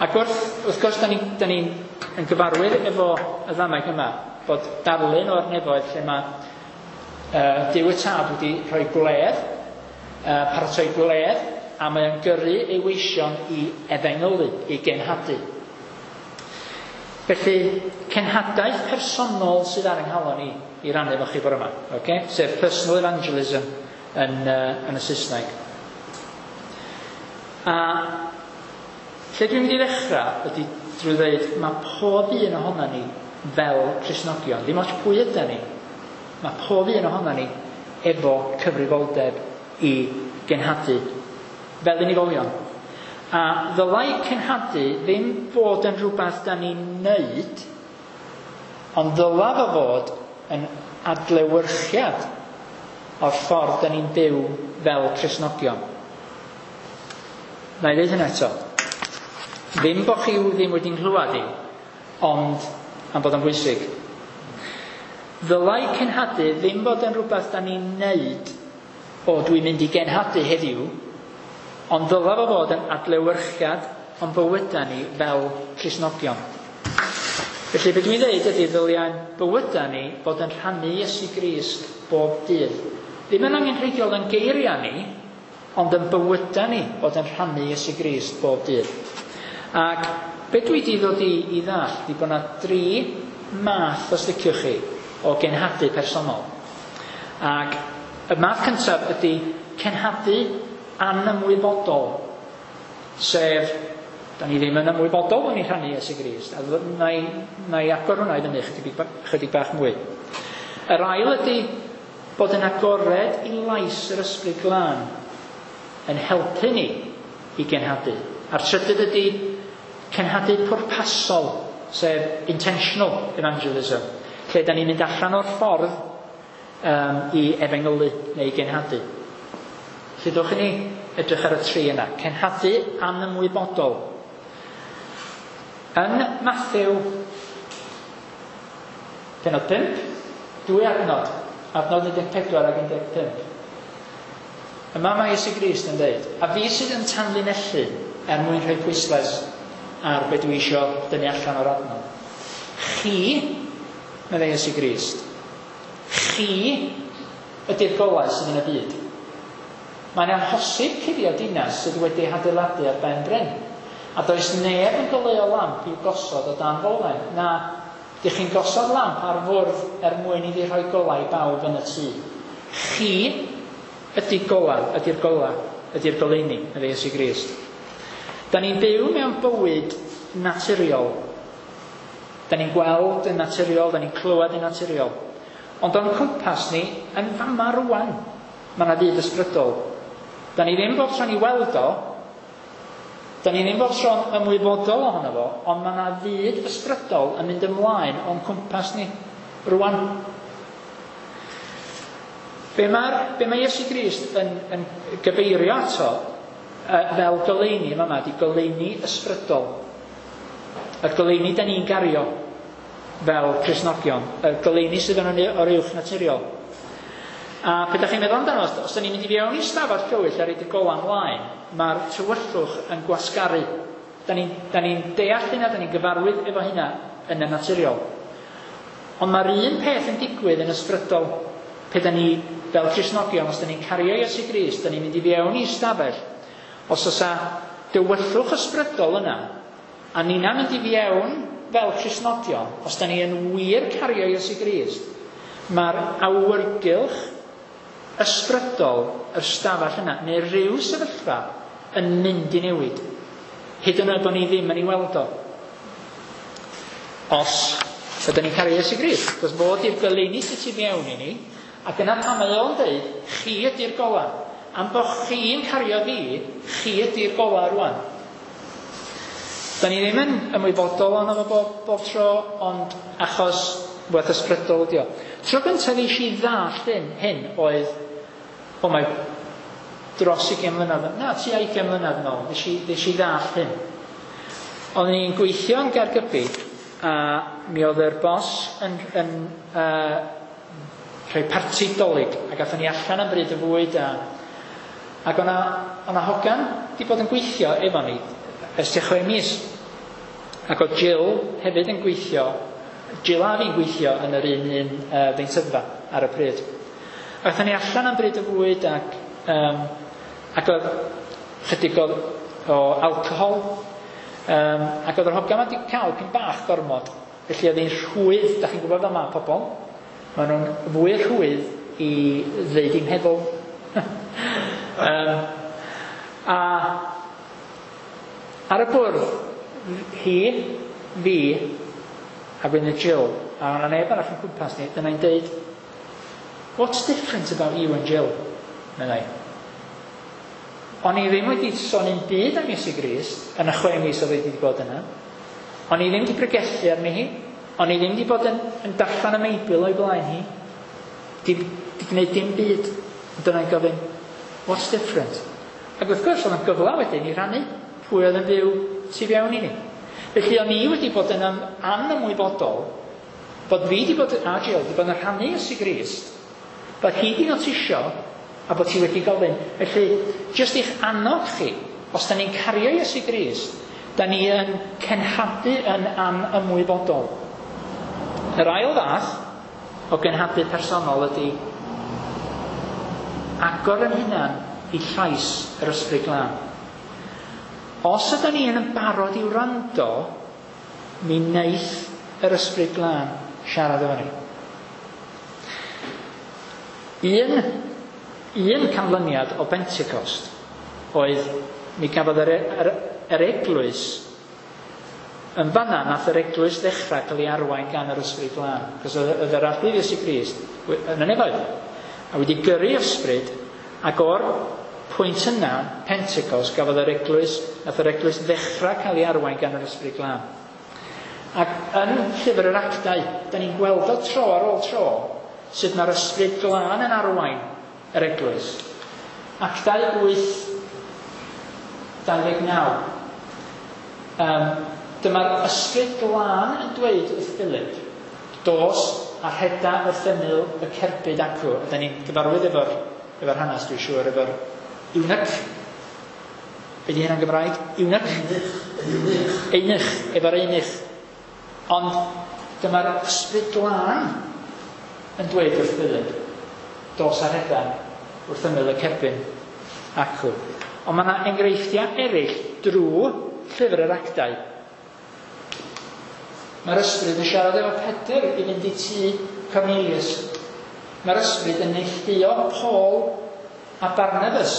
S5: Ac wrth, wrth gwrs, da ni'n ni, ni yn gyfarwydd efo y ddameg yma, bod darlun o'r nefoedd lle mae uh, Duw y Tad wedi rhoi gwledd, uh, paratoi gwledd, a mae o'n gyrru ei weision i efengylu, i genhadu. Felly, cenhadaeth personol sydd ar yng nghalon i, i rannu efo chi bore yma, okay? Sef personal evangelism yn, uh, yn y Saesneg. A lle dwi'n mynd i ddechrau ydy drwy ddweud, mae pob un ohonan ni fel Cristnogion, ddim ots pwy yda ni, mae pob un ohonan ni efo cyfrifoldeb i genhadu fel unigolion. A ddylai cenhadu ddim fod yn rhywbeth da ni'n neud, ond ddyla fo fod yn adlewyrchiad o'r ffordd da ni'n byw fel Cristnogion. Na i ddeud hynna eto. Ddim bo chi ddim wedi nghlywed i, ond am bod o'n bwysig. Ddylai cenhadu ddim bod yn rhywbeth da ni'n neud, o dwi'n mynd i genhadu heddiw, ond ddyla fo fod yn adlewyrchiad o'n bywydau ni fel Cristnogion. Felly be dwi'n dweud ydy ddyliau'n bywydau ni bod yn rhannu Iesu Grist bob dydd. Ddim yn angenrheidiol yn geiriau ni, ond yn bywydau ni bod yn rhannu Iesu Grist bob dydd. Ac be dwi wedi ddod i, i ddallt ydy bod yna dri math, os liciwch chi, o genhadu personol. Ac y math cyntaf ydy cenhadu anymwybodol, sef, da ni ddim yn ymwybodol bod ni'n rhannu Iesu Grist, a na i, na i agor hwnna i fyny chydig, chydig bach mwy. Yr ail ydy bod yn agored i lais yr Ysbryd Glân yn helpu ni i genhadu. A'r trydydd ydy cenhadu pwrpasol, sef intentional evangelism, lle da ni'n mynd allan o'r ffordd um, i efengylu neu i genhadu. Felly dowch i ni edrych ar y tri yna. Cenhadu anymwybodol. Yn Matthew pennod pump, dwy adnod, adnod un deg pedwar ac un deg pump. Yma mae Iesu Grist yn dweud, a fi sydd yn tanlinellu er mwyn rhoi pwyslais ar be dwi isio dynnu allan o'r adnod. Chi, meddai Iesu Grist, chi ydy'r golau sydd yn y byd. Mae'n amhosib cuddio dinas sydd wedi hadeiladu ar ben bryn. A does neb yn goleuo lamp i'w gosod o dan folen. Na, dych chi'n gosod lamp ar fwrdd er mwyn iddi rhoi golau i bawb yn y tŷ. Chi ydy golau, ydy'r golau, ydy'r goleuni, meddai Iesu Grist. Da ni'n byw mewn bywyd naturiol. Da ni'n gweld yn naturiol, da ni'n clywed yn naturiol. Ond o'n cwmpas ni, yn fama rwan, mae yna fyd ysbrydol. Da ni ddim bob tro'n i weld o, da ni ddim bob tro'n ymwybodol ohono fo, ond mae yna fyd ysbrydol yn mynd ymlaen o'n cwmpas ni rwan. Be, be mae Iesu Grist yn, yn gyfeirio ato fel goleuni yma yma, di goleuni ysbrydol. Y goleuni da ni'n gario fel Cristnogion, y goleuni sydd yn o'r uwch naturiol. A pe da chi'n meddwl amdano, os, os da ni'n mynd i fewn i stafell tywyll a roid y gola ymlaen, mae'r tywyllwch yn gwasgaru. Da ni'n ni deall hynna, da ni'n gyfarwydd efo hynna yn y naturiol. Ond mae'r un peth yn digwydd yn ysbrydol. Pe da ni, fel Cristnogion, os da ni'n cario Iesu Grist, da ni'n mynd i fewn i stafell, os oes a dywyllwch ysbrydol yna, a ni'na mynd i fewn fel Cristnogion, os da ni yn wir cario Iesu Grist, mae'r awyrgylch ysbrydol yr stafell yna, neu rhyw sefyllfa, yn mynd i newid. Hyd yn oed bod ni ddim yn ei weld o. Os ydyn ni'n cario Iesu Grist, cos fod i'r goleuni sydd tu mewn i ni, ac yna pan mae o'n dweud, chi ydy'r gola. Am bod chi'n cario fi, chi ydy'r gola rwan. Da ni ddim yn ymwybodol ohono fo bob, bob tro, ond achos werth ysbrydol ydi o. Tro gyntaf nes i ddallt hyn, hyn oedd, o mae dros ugain mlynedd, na, tua ugain mlynedd yn ôl, nes i, nes i ddallt hyn. Oeddwn i'n gweithio yn Gaergybi, a mi oedd yr bos yn, yn uh, rhoi parti Dolig, ac athon ni allan am bryd y fwyd, a, ac o'na, o'na hogan di bod yn gweithio efo ni ers tua chwe mis. Ac oedd Jill hefyd yn gweithio, Jill a fi'n gweithio yn yr un un uh, ddeintyddfa ar y pryd. Ac athon ni allan am bryd y fwyd, ac, um, ac oedd chydig o, o alcohol, um, ac oedd yr hogan wedi cael pyn bach gormod. Felly oedd hi'n rhwydd, da chi'n gwybod fel ma pobl, maen nhw'n fwy rhwydd i ddeud i'm meddwl. um, a ar y bwrdd, hi, fi, a wedyn Jill, a o'na neb arall yn cwmpas ni, dyna'n deud, "What's different about you and Jill?" meddai. O'n i ddim wedi sôn un byd am Iesu Grist yn y chwe mis oedd wedi bod yna. O'n i ddim wedi pregethu arni hi. O'n i ddim wedi bod yn, yn darllen y Meibl o'i blaen hi. Di, di gwneud dim byd. Dyna'n gofyn, "What's different?" Ac wrth gwrs, oedd yn gyfle wedyn i rannu pwy oedd yn byw tu fewn i ni. Felly o'n i wedi bod yn anymwybodol bod fi wedi bod, a Jill, wedi bod yn rhannu Iesu Grist, bod hi wedi notisio a bod hi wedi gofyn. Felly, jyst i'ch annog chi, os da ni'n cario Iesu Grist, da ni yn cenhadu yn anymwybodol. Yr ail fath o genhadu personol ydy agor yn hunan i llais yr Ysbryd Glân. Os ydyn ni yn barod i wrando, mi wneith yr Ysbryd Glân siarad efo ni. Un, un canlyniad o Pentecost oedd mi gafodd yr, yr, yr eglwys yn fanna nath yr eglwys ddechrau cael ei arwain gan yr Ysbryd Glân. Cos oedd yr Arglwydd Iesu Grist yn y nefoedd a wedi gyrru ysbryd, ac o'r pwynt yna, Pentecost, gafodd yr eglwys, nath yr eglwys ddechrau cael ei arwain gan yr Ysbryd Glân. Ac yn llyfr yr Actau, da ni'n gweld o tro ar ôl tro sut mae'r Ysbryd Glân yn arwain yr eglwys. Actau wyth dau ddeg naw. Um, dyma'r Ysbryd Glân yn dweud wrth Philip, dos a rheda wrth ymyl y cerbyd acw. Da ni'n gyfarwydd efo'r efo'r hanes, dwi'n siŵr, efo'r eunuch. Be di hynna'n Gymraeg? Eunuch? Eunuch, efo'r eunuch. Ond dyma'r Ysbryd Glân yn dweud wrth Philip, dos a rheda wrth ymyl y cerbyn acw. Ond mae yna enghreifftiau eraill drwy llyfr yr Actau. Mae'r Ysbryd yn siarad efo Pedr i fynd i tŷ Cornelius. Mae'r Ysbryd yn neilltuo Paul a Barnabas.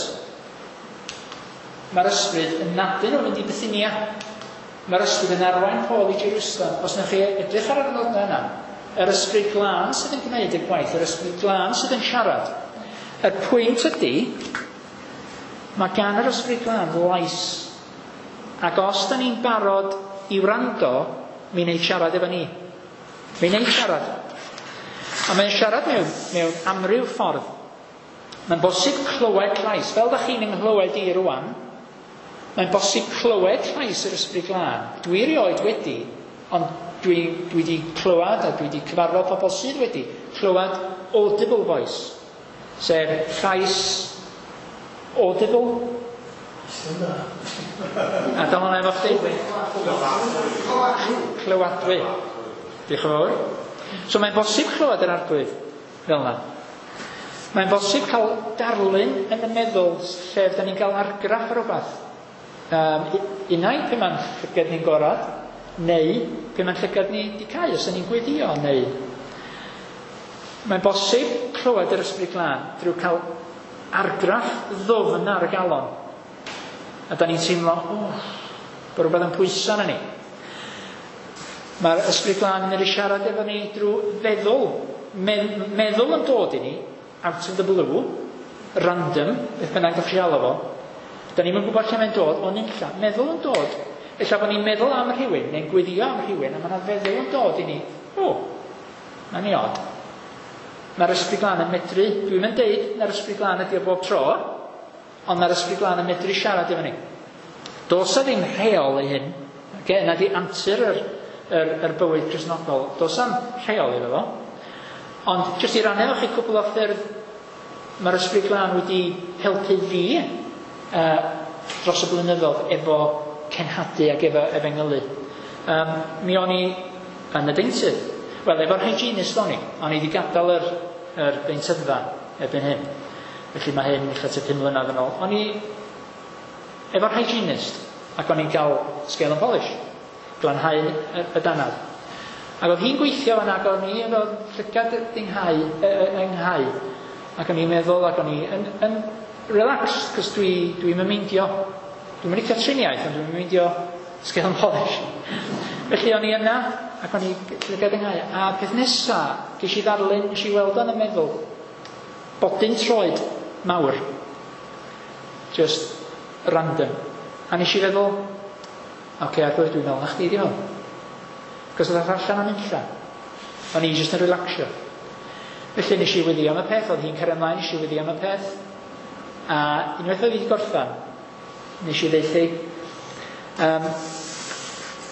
S5: Mae'r Ysbryd yn nadu nhw fynd i Bithynia. Mae'r Ysbryd yn arwain Paul i Jerusalem. Os wnewch chi edrych ar yr adnodau yna, yr Ysbryd Glân sydd yn gwneud y gwaith, yr Ysbryd Glân sydd yn siarad. Y pwynt ydy, mae gan yr Ysbryd Glân lais. Ac os da ni'n barod i wrando, mi wneud siarad efo ni. Mi wneud siarad. A mae'n siarad mewn, mewn amryw ffordd. Mae'n bosib clywed llais. Fel da chi'n nghlywed i rwan, mae'n bosib clywed llais yr Ysbryd Glân. Dwi erioed wedi, ond dwi, dwi wedi clywed a dwi wedi cyfarfod pobl sydd wedi clywed audible voice. Sef llais audible. A dyma hwnna efo chdi? Clywadwy. Diolch yn fawr. So mae'n bosib clywed yr Arglwydd fel yna. Mae'n bosib cael darlun yn y meddwl lle da ni'n cael argraff ar rhywbeth. Um, unai pe mae'n llygad ni'n gorad, neu pe mae'n llygad ni di cau, os ni'n gweddio, neu... Mae'n bosib clywed yr Ysbryd Glân drwy cael argraff ddwfn ar y galon. A da ni'n teimlo, o, oh, bod rhywbeth yn pwyso arna ni. Mae'r Ysbryd Glân yn medru siarad efo ni drwy feddwl. Meddwl yn dod i ni, out of the blue, random, beth bynnag ddech chi alw fo. Da ni'n gwybod lle mae'n dod, ond unlla. Meddwl yn dod. Ella bod ni'n meddwl am rhywun, neu'n gweddio am rhywun, a mae yna feddwl yn dod i ni. O, mae'n ni od. Mae'r Ysbryd Glân yn medru, dwi'n mynd deud na'r Ysbryd Glân ydi o bob tro, ond mae'r Ysbryd Glân yn medru siarad efo ni. Does 'na ddim rheol i hyn. Okay? Yna di antur yr, yr, yr bywyd Cristnogol. Does 'na'm rheol iddo fo. Ond jyst i rannu efo chi cwpl o ffyrdd mae'r Ysbryd Glân wedi helpu fi uh, dros y blynyddoedd efo cenhadu ac efo efengylu. Um, mi o'n i yn y deintydd. Wel, efo'r hygienist o'n i. O'n i wedi gadael yr, yr deintyddfa erbyn hyn. Felly mae hyn ella tua pum mlynedd yn ôl. O'n i efo'r hygienist ac o'n i'n cael scale and polish, glanhau y, y danad. Ac oedd hi'n gweithio fan ac o'n i efo llygad ynghau, ynghau. Ac o'n i'n meddwl ac o'n i yn, yn relaxed, cos dwi, dwi'n meindio. Dwi'n licio triniaeth, ond dwi'n meindio scale and polish. Felly o'n i yna ac o'n i llygad ynghau. A peth nesa, ges i ddarlun, nes i weld o'n y meddwl, bodyn troed mawr. Just random. A nes i feddwl, oce, okay, Arglwydd, dwi'n meddwl na chdi di hwn. Cos oedd allan am unlla. O'n i jyst yn relaxio. Felly nes i weddio am y peth, oedd hi'n cario ymlaen, nes i weddio am y peth. A unwaith oedd hi wedi gorffan, nes i ddeithi, um,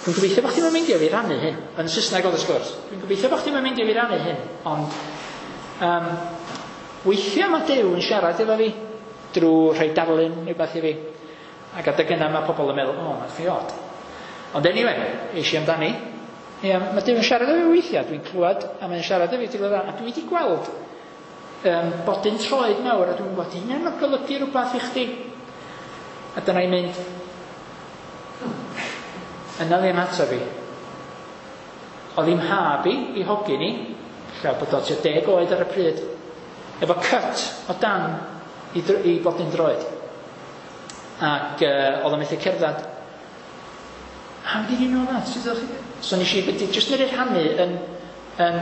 S5: dwi'n gobeithio bod chdi'n meindio fi rannu hyn. Yn Saesneg oedd y sgwrs. Dwi'n gobeithio bod chdi'n meindio fi rannu hyn, ond um, weithiau mae Duw yn siarad efo fi drwy rhoi darlun neu beth i fi. Ac adeg yna mae pobl yn meddwl, o, oh, mae'n chi od. Ond anyway, eisiau amdani. Ie, mae Duw yn siarad efo fi weithiau, dwi'n clywed, a mae'n siarad efo fi drwy a dwi wedi gweld um, bodyn troed mawr, a dwi'n gwybod, hynna'n golygu rhywbeth i chdi. A dyna i'n mynd, yna ddim ato fi. Oedd hi'n mhab i, i hogyn i, lle bod o tua deg oed ar y pryd, efo cut o dan i, i bodyn droed. Ac uh, oedd o'n methu cerdded. How did you know that? So nes i just medru rhannu yn, yn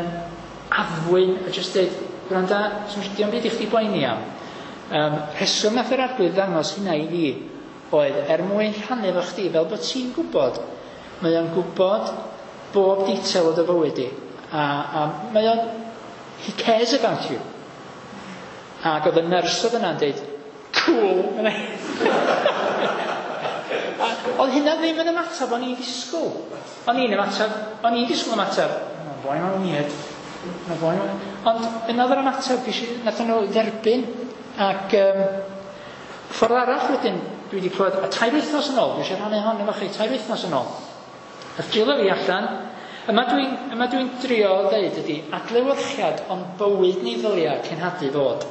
S5: addfwyn a just dweud, gwranda, diolch byd i chdi boeni am. Um, rheswm nath yr Arglwydd ddangos hynna i fi oedd er mwyn rhannu efo chdi fel bod ti'n gwybod. Mae o'n gwybod bob detail o dy fywyd di. A, a mae o'n, he cares about you. Ac oedd y nyrs oedd yna'n dweud, cool. Oedd hynna ddim yn ymateb o'n i'n disgwyl. O'n i'n ymateb, o'n i'n disgwyl ymateb, mae'n boi ma'n weird. Mae'n boi ma'n... Ond yna oedd yr ymateb, nath nhw dderbyn. Ac um, ffordd arall wedyn, dwi wedi clywed, a tair wythnos yn ôl, dwi eisiau rhannu hon efo chi, tair wythnos yn ôl. Nath drilio fi allan, yma dwi'n yma dwi'n drio ddeud ydy, adlewyrchiad o'n bywyd ni ddylia cenhadu fod.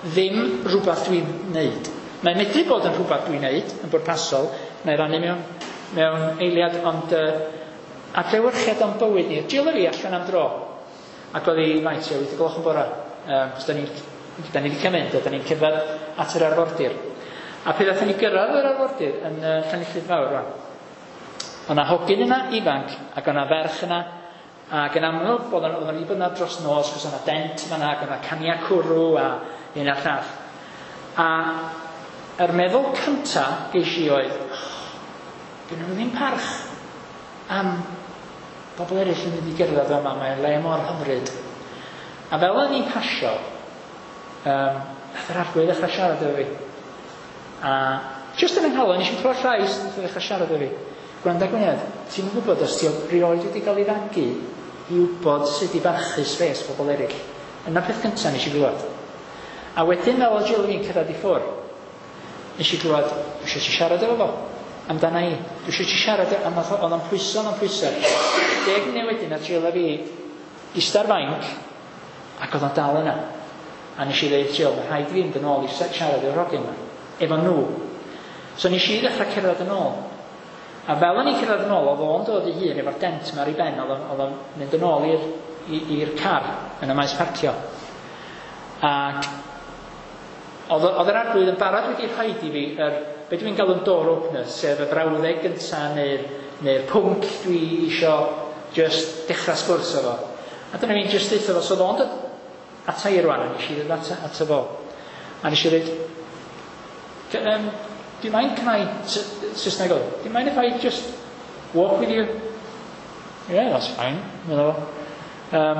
S5: Ddim rhywbeth dwi'n neud. Mae'n medru bod yn rhywbeth dwi'n neud, yn bwrpasol, na i rannu mewn, mewn eiliad, ond uh, adlewyrchiad o'n bywyd ni. Drilio fi allan am dro. Ac oedd hi, faint, tua wyth o gloch yn bora. Um, cos da ni'n da ni wedi cael mynd, a da ni'n cerdded at yr arfordir. A pe ddathon ni gyrraedd yr arfordir yn uh, Llanilltud Fawr rwan, oedd 'na hogyn yna ifanc, ac oedd 'na ferch yna, ac yn amlwg bod o'n wedi bod yna dros nos, cos oedd 'na dent fan'na, ac oedd 'na cania cwrw a hyn a'r llall. A yr meddwl cynta geis i oedd, oh, gynnu nhw ddim parch am bobl eraill yn mynd i gerdded yma, mae'n le mor hyfryd. A fel o'n i'n pasio, um, nath yr Arglwydd ddechrau siarad efo fi. A just yn yng nghalon, nes i'n clywed llais, nath o ddechrau siarad efo fi. Gwranda Gwynedd, ti'n gwybod os ti rioed wedi cael ei fagu i wybod sut i barchu space pobl eraill. Yna peth cyntaf nes i glywed. A wedyn fel oedd Jill fi'n cyrraedd i ffwrdd, nes i glywed, dwi eisiau ti siarad efo fo, amdana i. Dwi eisiau ti siarad, a nath o- oedd o'n pwyso, oedd o'n pwyso. Deg munud wedyn, nath Jill a fi ista'r fainc, ac oedd o'n dal yna. A nes i ddeud, Jill, mae rhaid i fi fynd yn ôl i siarad efo'r hogyn yma, efo nhw. So nes i ddechrau cerdded yn ôl. A fel o'n i'n cerdded yn ôl, oedd o'n dod i hun efo'r dent yma ar ei ben, oedd o'n, oedd o'n mynd yn ôl i'r, i'r car yn y maes parcio. Ac oedd, oedd yr Arglwydd yn barod wedi rhaid i fi, yr, be dwi'n galw'n door opener, sef y frawddeg gynta neu'r neu pwnc dwi isio just dechrau sgwrs efo. A dyna fi'n just deutha fo, so oedd o'n dod ata i rwan, a nes i ddod ata, ata fo. A nes i ddweud, um, do you mind, can I, Saesneg oedd, do you mind if I just walk with you? Yeah, that's fine. Medda fo. Um,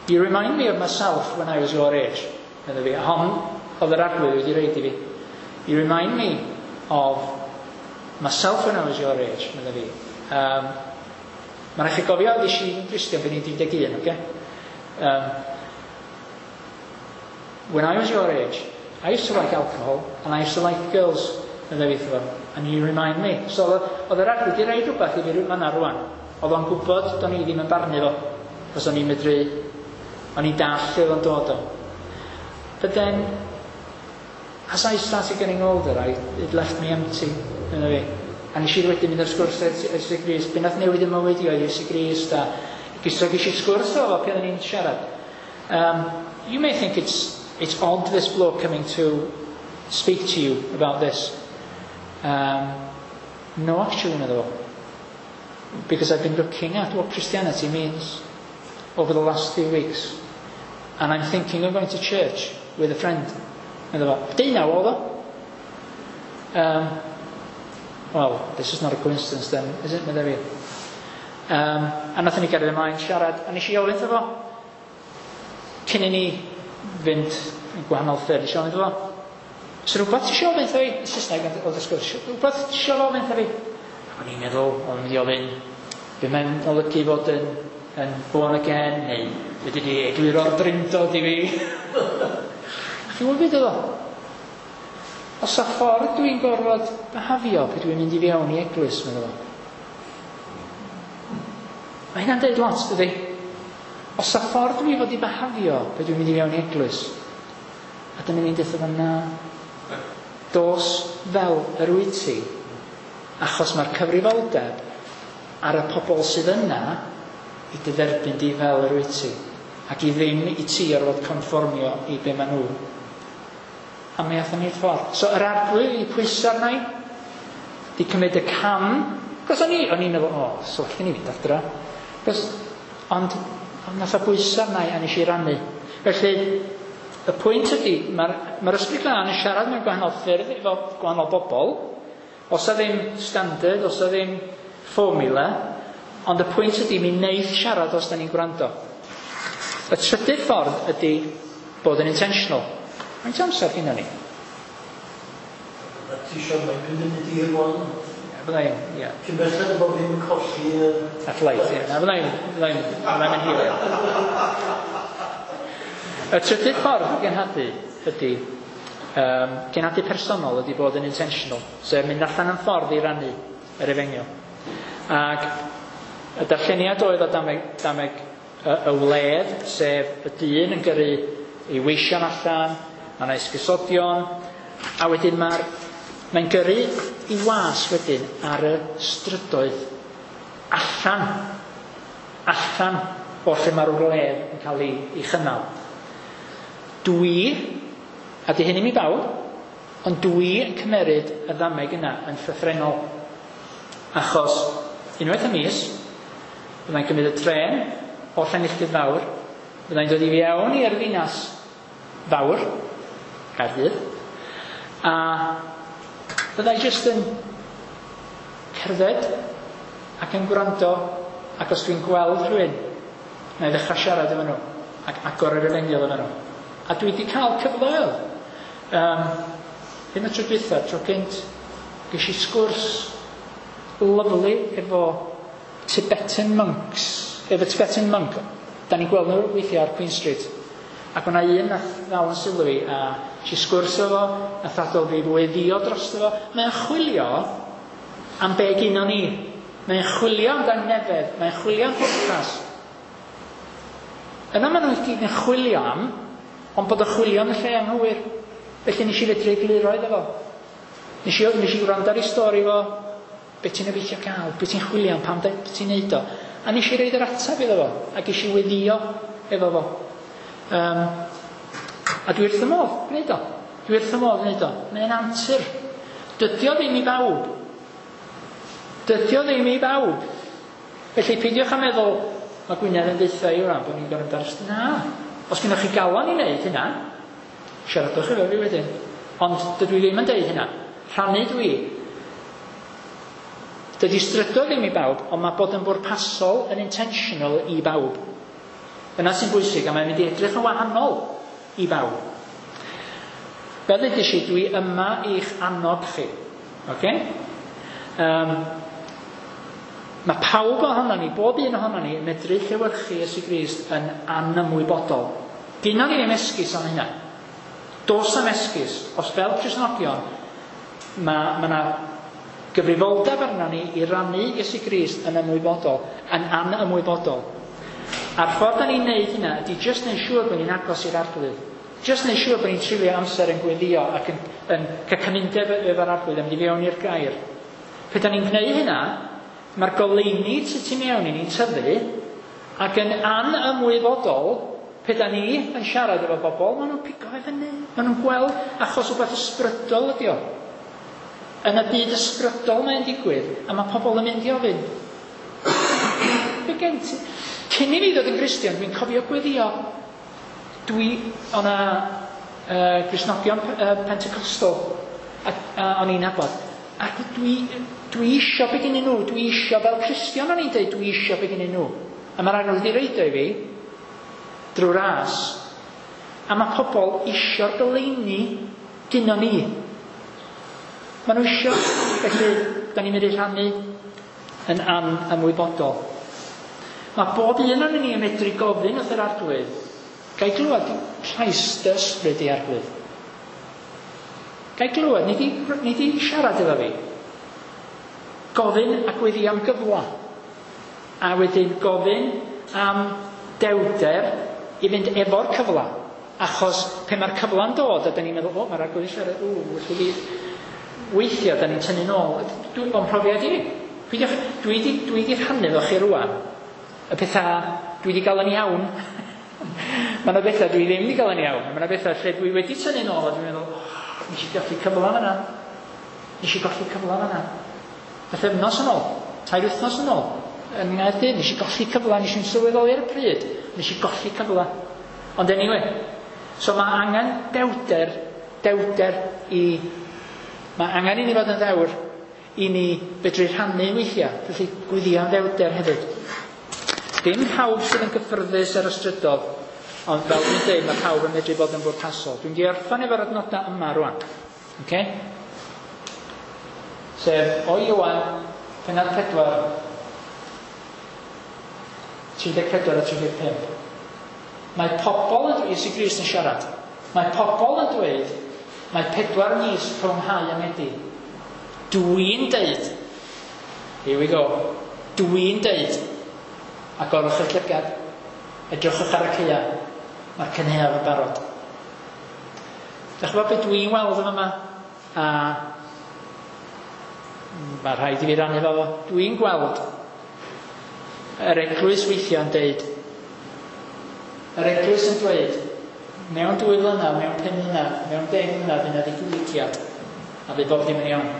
S5: you remind me of myself when I was your age. Medda fi. Hon oedd yr Arglwydd wedi roid i fi. You remind me of myself when I was your age, medda fi. Um, Mae'n rhaid chi gofio, ddes i'n Gristion pan i'n un deg un, oce? Um, when I was your age, I used to like alcohol and I used to like girls, medda fi wrtho fo. And you remind me. So oedd yr Arglwydd wedi rhaid rhywbeth i fi fanna rwan. Oedd o'n gwybod do'n i ddim yn barnu fo. Cos o'n i'n medru, o'n i'n dall lle oedd o'n dod o. But then, as I started getting older, I, it left me empty. Medda fi. A nes i wedyn mynd ar sgwrs Iesu Grist. Be nath newid y mywyd i oedd Iesu Grist. A so ges i sgwrs o fo pan o'n i'n siarad. Um, you may think it's, it's odd, this bloke coming to speak to you about this. Um, no, actually, medda fo. Because I've been looking at what Christianity means over the last few weeks. And I'm thinking of going to church with a friend. Medda fo. Deunaw oedd o. Um, well, this is not a coincidence then, is it, medda fi. Um, a nathon ni gario ymlaen siarad, a nes i ofyn iddo fo, cyn i ni fynd yn gwahanol ffyrdd, nes i ofyn iddo fo, so rhywbeth ti eisiau ofyn iddo fi? Saesneg oedd y sgwrs, rhywbeth ti eisiau ofyn iddo fi? Ac o'n i'n meddwl, o'n mynd i ofyn, be mae'n olygu fod yn, yn born again, neu fedri di egluro'r drindod i fi. Chi'n gwybod beth oedd o? Oes 'na ffordd dwi'n gorfod behafio pryd dwi'n mynd i fewn i eglwys, meddwl fo. Mae hynna'n deud lot, dydy? Oes 'na ffordd dwi fod i behafio pryd dwi'n mynd i fewn i eglwys. A dyma ni'n dweud fo, na. Dos fel yr wyt ti, achos mae'r cyfrifoldeb ar y pobl sydd yna i dy dderbyn di fel yr wyt ti. Ac i ddim i ti orfod conformio i be maen nhw. A mi athon ni'r ffordd. So yr Arglwydd i pwyso arna i, di cymryd y cam. Cos o'n i, o'n i'n meddwl, o, oh, so allan ni fynd adra. Cos, ond, ond nath o bwyso arna i a nes i rannu. Felly, y pwynt ydy, mae'r ma Ysbryd Glân yn siarad mewn gwahanol ffyrdd efo gwahanol bobl. Oes 'na ddim standard, oes 'na ddim formula, ond y pwynt ydy, mi wneith siarad os da ni'n gwrando. Y trydydd ffordd ydy bod yn intentional. Faint amser gyda ni?
S1: A ti eisiau mae'n mynd yn mynd i'r rwan?
S5: Ie, bydda i'n, ie.
S1: Cyn belled bod fi'n colli... yy,
S5: Y flight, ie. Na, bydda i'n, bydda i'n, bydda i'n mynd hir. Y trydydd ffordd o genhadu ydy, um, genhadu personol ydy bod yn intentional, sef mynd allan yn ffordd i rannu yr efengyl. Ac y darlleniad oedd o dameg, dameg y, y wledd, sef y dyn yn gyrru ei weision allan, mae yna esgusodion, a wedyn mae'r mae'n gyrru i was wedyn ar y strydoedd allan, allan o lle mae'r wledd yn cael ei, ei chynnal. Dwi, a di hyn i mi bawb, ond dwi yn cymeryd y ddameg yna yn llythrennol. Achos unwaith y mis, byddai'n cymryd y tren o Llanilltud Fawr, byddai'n dod i fewn i'r ddinas fawr, Caerdydd, a byddai jyst yn cerdded ac yn gwrando, ac os dwi'n gweld rhywun, na i ddechrau siarad efo nhw, ac agor yr efengyl efo nhw. A dwi wedi cael cyfleoedd. Um, ddim y tro dwytha, tro cynt, ges i sgwrs lovely efo Tibetan monks, efo Tibetan monk. Da ni'n gweld nhw weithiau ar Queen Street. Ac o'na un nath ddal yn sylw i, a si sgwrs efo, nath adael fi weddïo drosto fo. Mae'n chwilio am be gynnon ni. Mae'n chwilio am dangnefedd, mae'n chwilio am pwrpas. Yna maen nhw gyd yn chwilio am, ond bod y chwilio yn y lle anghywir. Felly nes i fedru egluro iddo fo. Nes i, nes i wrando ar ei stori fo, be ti'n obeithio cael, be ti'n chwilio am, pam ti'n neud o. A nes i roid yr ateb iddo fo, a ges i weddïo efo fo. Um, a dwi wrth y modd gwneud o. Dwi wrth y modd gwneud o. Mae'n antur. Dydy o ddim i bawb. Dydy o ddim i bawb. Felly peidiwch â meddwl, mae Gwynedd yn deutha i wrand bod ni'n gorfod aros. Na. Os gennych chi galon i wneud hynna, siaradwch efo fi wedyn. Ond dydw i ddim yn deud hynna. Rhannu dwi. Dydy strydoedd ddim i bawb, ond mae bod yn bwrpasol yn intentional i bawb. Yna sy'n bwysig, a mae'n mynd i edrych yn wahanol i bawb. Fel ddeudais i, dwi yma i'ch annog chi. Okay? Um, mae pawb ohono ni, bob un ohono ni, yn medru llewyrchu Iesu Grist yn anymwybodol. Gynnon ni ddim esgus am hynna. Does am esgus. Os fel Cristnogion, mae ma 'na gyfrifoldeb arno ni i rannu Iesu Grist yn ymwybodol, yn anymwybodol. A'r ffordd da ni'n neud hynna ydy jyst neud siŵr bod ni'n agos i'r Arglwydd. Jyst neud siŵr bod ni'n treulio amser yn gweddio ac yn, yn cael cymundeb efo'r Arglwydd, yn mynd i fewn i'r gair. Pe da ni'n gwneud hynna, mae'r goleuni sydd tu mewn i ni'n tyfu, ac yn anymwybodol, pe da ni yn siarad efo bobl, maen nhw'n pigo fe fyny. Maen nhw'n gweld achos rhywbeth ysbrydol ydi o. Yn y byd ysbrydol mae'n digwydd, a mae pobl yn mynd i ofyn. Be gen ti? Cyn i fi ddod yn Gristion, dwi'n cofio gweddio. Dwi, o'na uh, Gristnogion uh, Pentecostal, a, a o'n i'n nabod. Ac dwi, dwi isio be gennyn nhw, dwi isio fel Cristion o'n i'n dweud, dwi isio be gennyn nhw. A mae'r Arglwydd wedi roid o i fi, drwy ras. A mae pobl isio'r goleuni gynnon ni. Maen nhw isio, felly, da ni'n mynd i rhannu yn anymwybodol. Mae bob un o'n ni yn medru gofyn wrth yr Arglwydd, gai glywed llais dy ysbryd i Arglwydd. Gai glywed, nid i, nid i siarad efo fi. Gofyn a gweddi am gyfla. A wedyn gofyn am dewder i fynd efo'r cyfla. Achos pe mae'r cyfla'n dod, a da ni'n meddwl, o, mae'r Arglwydd siarad, o, wrth i fi weithio, da ni'n tynnu nôl. Dwi'n o'n profiad i. Dwi wedi dwi di rhannu efo chi rwan. Y pethau dwi wedi gael yn iawn. Mae yna bethau dwi ddim wedi gael yn iawn. Mae yna bethau lle dwi wedi tynnu nôl a dwi'n meddwl, oh, nes i golli cyfla fan'na. Nes i golli cyfla fan'na. Pythefnos yn ôl, tair wythnos yn ôl, yn Nghaerdydd, nes i golli cyfla, nes i'n sylweddoli ar y pryd, nes i golli cyfla. Ond anyway, so mae angen dewder, dewder i, mae angen i ni fod yn ddewr i ni fedru rhannu weithiau, felly gweddio am ddewder hefyd. Dim pawb sydd yn gyffyrddus ar y strydoedd, ond fel dwi'n dweud, mae pawb yn medru bod yn bwrpasol. Dwi'n di orffan efo'r adnodau yma rwan. Okay? Sef o Ioan, pennod pedwar, tri deg pedwar a tri deg pump. Mae pobl yn dweud, Iesu Grist yn siarad, mae pobl yn dweud, mae pedwar mis rhwng hau a medi. Dwi'n deud, here we go, dwi'n deud, agorwch eich llygad, edrychwch ar y caeau, mae'r cynhaeaf yn barod. Dach chi'n gwybod beth dwi'n weld yn yma? A mae rhaid i fi rannu fo. Dwi'n gweld yr eglwys weithiau yn deud, yr eglwys yn dweud, mewn dwy flynedd, mewn pum mlynedd, mewn deg mlynedd, fydd yna ddiwygiad, a fydd bob dim yn iawn.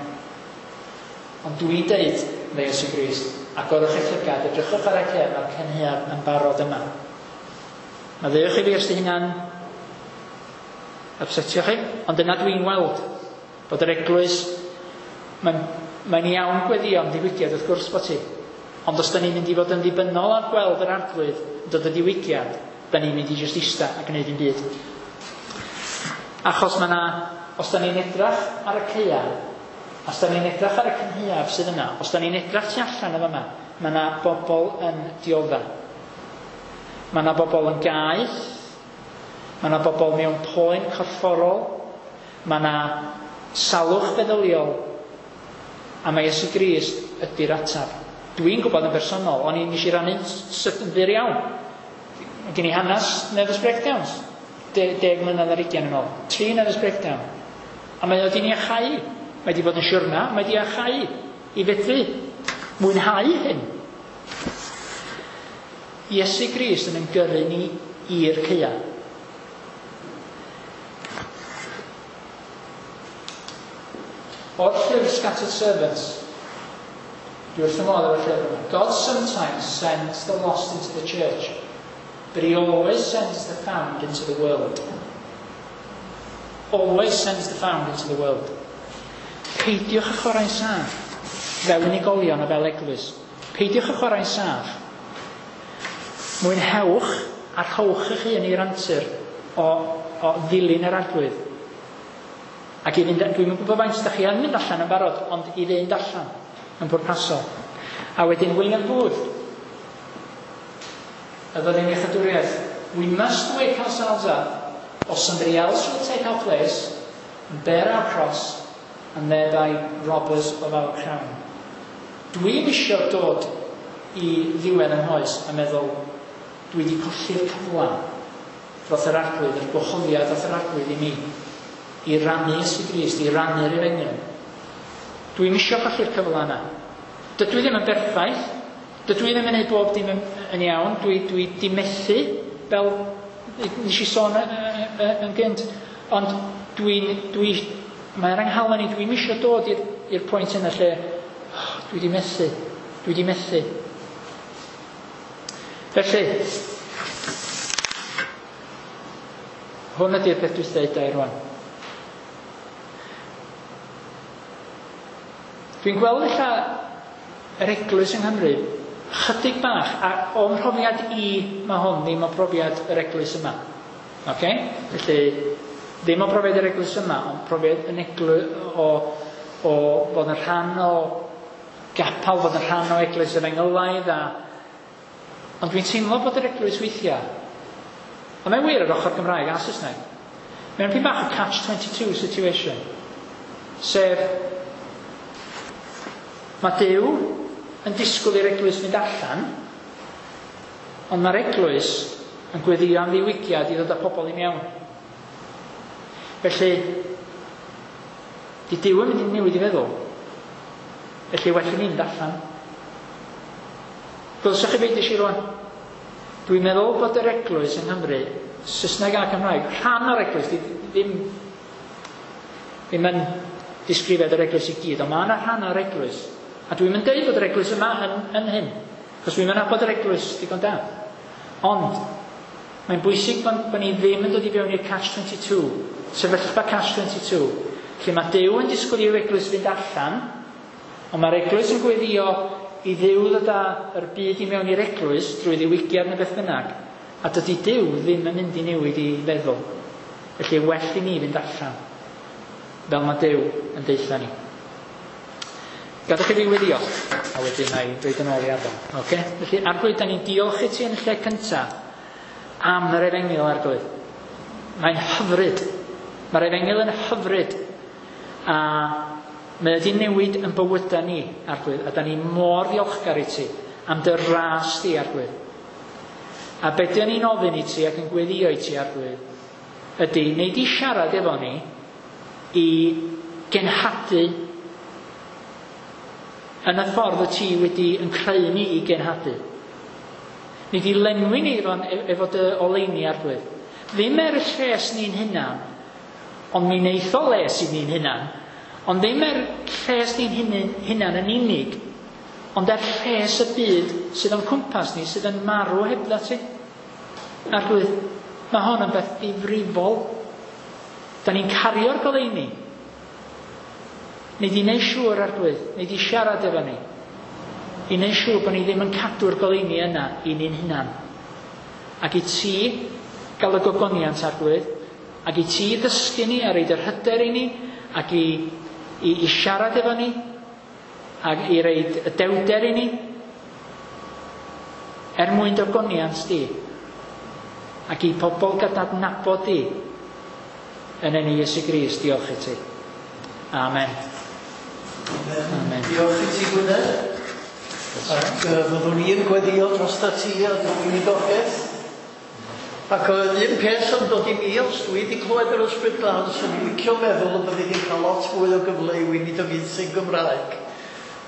S5: Ond dwi'n deud, meddai Iesu Grist, agorwch eich llygad, edrychwch ar y caeau, mae'r cynhaeaf yn barod yma. Maddeuwch i fi os di hynna'n upsetio chi, ond dyna dwi'n weld, bod yr eglwys, mae'n mae'n iawn gweddio am ddiwygiad, wrth gwrs bod ti. Ond os da ni'n mynd i fod yn ddibynnol ar gweld yr Arglwydd yn dod y diwygiad, da ni'n mynd i jyst ista a gwneud dim byd. Achos mae 'na, os da ni'n edrach ar y caeau, os da ni'n edrach ar y cynhaeaf sydd yna, os da ni'n edrach tu allan y fama, mae 'na bobl yn diodda. Mae 'na bobl yn gaeth, Mae yna bobl mewn poen corfforol. Mae yna salwch feddyliol. A mae Iesu Grist ydy'r ateb. Dwi'n gwybod yn bersonol, o'n i nes i rannu'n sydyn fyr iawn. Mae gen i hanes nervous breakdowns. De, deg mlynedd ar ugain yn ôl. Tri nervous breakdown. A mae o wedi'n iachau. Mae wedi bod yn siwrna, mae wedi iachau i fedru mwynhau hyn. Iesu Grist yn ein gyrru ni i'r caea. O'r llyfr Scattered Servants, dwi wrth fy modd efo'r llyfr yma. God sometimes sends the lost into the church, but he always sends the found into the world. Always sends the found into the world. Peidiwch â chwarae'n saff fel unigolion a fel eglwys. Peidiwch â chwarae'n saff. Mwynhewch a rhowch eich hun i'r antur o, o ddilyn yr Arglwydd. Ac i fynd, dwi'n gwybod faint ydych chi yn mynd allan yn barod, ond i fynd allan yn pwrpasol. A wedyn William Booth, y fyddin iechydwriaeth. We must wake ourselves up, or somebody else will take our place and bear our cross and thereby rob us of our crown. Dwi'm isio dod i ddiwedd yng nghoes a meddwl dwi wedi colli'r cyfle dros yr Arglwydd, yr gwahoddiad dros yr Arglwydd i mi i rannu Iesu Grist, i rannu'r efengyl. Dwi'm isio colli'r cyfle yna. Dydw i ddim yn berffaith. Dydw i ddim yn gwneud bob dim yn, yn iawn. Dwi, dwi di methu, fel nes i sôn yn gynt. Ond dwi'n, dwi, mae'r anghalon i, dwi'm isio dod i'r, i'r pwynt yna lle oh, dwi di methu, dwi di methu. Felly, hwn ydy'r peth dwi'n dweud i rwan. Dwi'n gweld ella yr eglwys yng Nghymru chydig bach, a o'm mhrofiad i mae hwn ddim o brofiad yr eglwys yma. Okay? Felly, ddim o brofiad yr eglwys yma, ond profiad yn eglwys o, o fod yn rhan o gapel, fod yn rhan o eglwys efengylaidd. A, ond dwi'n teimlo bod yr eglwys weithiau, a mae'n wir ar ochr Gymraeg a Saesneg, mae'n pyn bach o catch twenty-two situation, sef mae Duw yn disgwyl i'r eglwys fynd allan, ond mae'r eglwys yn gweddio am ddiwygiad i ddod â pobl i mewn. Felly, di Duw yn mynd i newid i feddwl. Felly, well i ni fynd allan. Gwylsoch chi beth eisiau rwan? Dwi'n meddwl bod yr eglwys yng Nghymru, Saesneg a Cymraeg, rhan o'r eglwys, ddim, ddim yn disgrifiad yr eglwys i gyd, ond mae yna rhan o'r eglwys. A dwi'n mynd deud bod yr eglwys yma yn, yn hyn, cos dwi'n mynd nabod yr eglwys digon da. Ond, mae'n bwysig bod, bod ni ddim yn dod i fewn i'r catch twenty-two, sefyllfa catch twenty-two, lle mae Duw yn disgwyl i'r eglwys fynd allan, ond mae'r eglwys yn gweddio i Dduw ddod â'r byd i mewn i'r eglwys drwy ddiwygiad neu beth bynnag, a dydy Duw ddim yn mynd i newid i feddwl. Felly, well i ni fynd allan, fel mae Duw yn deutha ni. Gadewch i fi weddio, a wedyn na i ddweud yn ôl i Adon. Okay? Felly, Arglwydd, da ni'n diolch i ti yn y lle cyntaf am yr efengyl, Arglwydd. Mae'n hyfryd. Mae'r efengyl yn hyfryd. A mae wedi newid yn bywydau ni, Arglwydd, a da ni mor ddiolchgar i ti am dy ras di, Arglwydd. A be dyn ni'n ofyn i ti ac yn gweddio i ti, Arglwydd, ydy, nei di siarad efo ni i genhadu yn y ffordd y ti wedi yn creu ni i genhadu. Ni di lenwi ni efo, efo dy oleuni, Arglwydd. Ddim er y lles ni'n hunan, ond mi wneith o les i ni'n hunan, ond ddim er lles ni'n hunan, hunan yn unig, ond er lles y byd sydd o'n cwmpas ni, sydd yn marw hebdda ti. Arglwydd, mae hon yn beth difrifol. Da ni'n cario'r goleuni. Nei di wneud siŵr, Arglwydd, nei di siarad efo ni, i wneud siŵr bod ni ddim yn cadw'r goleuni yna i ni'n hunan. Ac i ti gael y gogoniant, Arglwydd, ac i ti ddysgu ni a roid yr hyder i ni, ac i, i, i siarad efo ni, ac i roid y dewder i ni, er mwyn dogoniant di, Ac i pobl gael adnabod di yn enw Iesu Grist, diolch i ti. Amen.
S1: Amen. Amen. Diolch i ti, Gwynedd. Ac uh, fyddwn i'n gweddio drosta ti a dy weinidogaeth. Ac uh, un peth yn dod i mi, os dwi wedi clywed yr Ysbryd Glân, swn i'n licio meddwl y byddi di'n cael lot fwy o gyfle i weinidogaethu'n Gymraeg.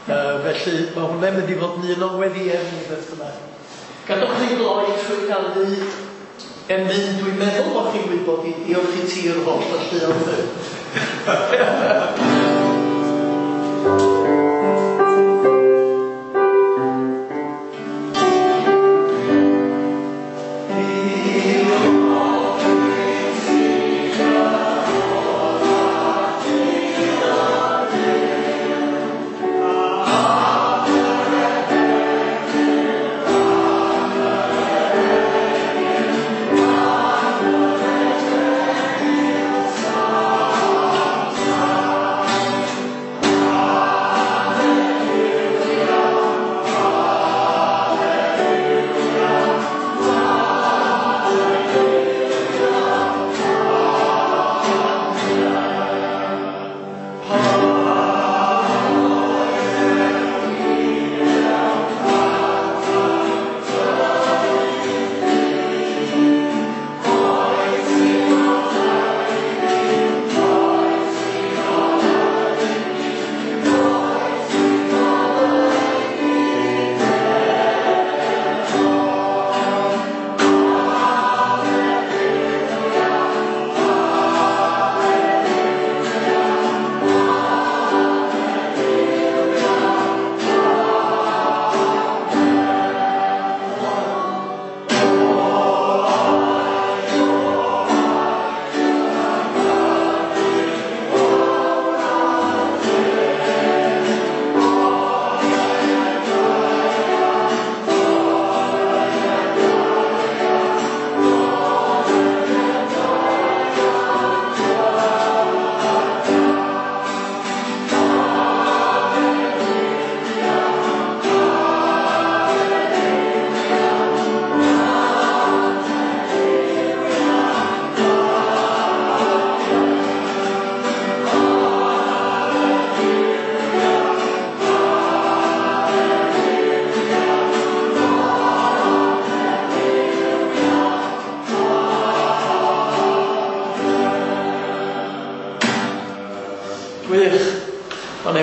S1: Uh, felly mae hwnna'n mynd i fod yn un o'n weddiau ni beth bynnag. Gadwch ni gloi trwy ganu emyn, dwi'n meddwl bod chi'n gwybod i diolch i ti yr holl alluoedd.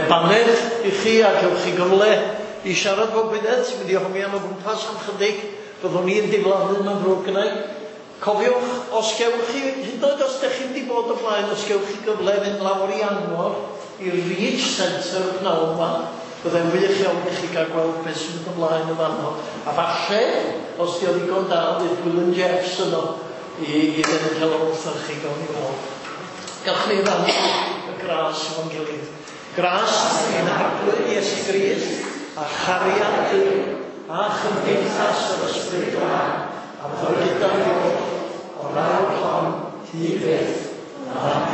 S1: Baned i chi a cewch chi gyfle i siarad fo Gwynedd sy'n mynd i hongian o gwmpas am chydig. Byddwn ni'n diflannu mewn ddrwg gynnau. Cofiwch, os gewch chi, hyd yn oed os ydych chi'n di bod o blaen, os gewch chi gyfle fynd lawr i Angor i'r Reach Centre y pnawn yma, byddai'n wych iawn i chi gael gweld beth sy'n mynd ymlaen yn fanno. A falle, os di o ddigon da, fydd Gwilym Jeffs yno i, i ddweud helo wrthych chi, gawn ni weld. Gawch ni rannu y gras efo'n gilydd. Gras i'n Arglwydd Iesu Grist, a chariad Duw, a chymdeithas yr Ysbryd Glân, a fyddo gyda ni o'r awr hon hyd byth. Amen.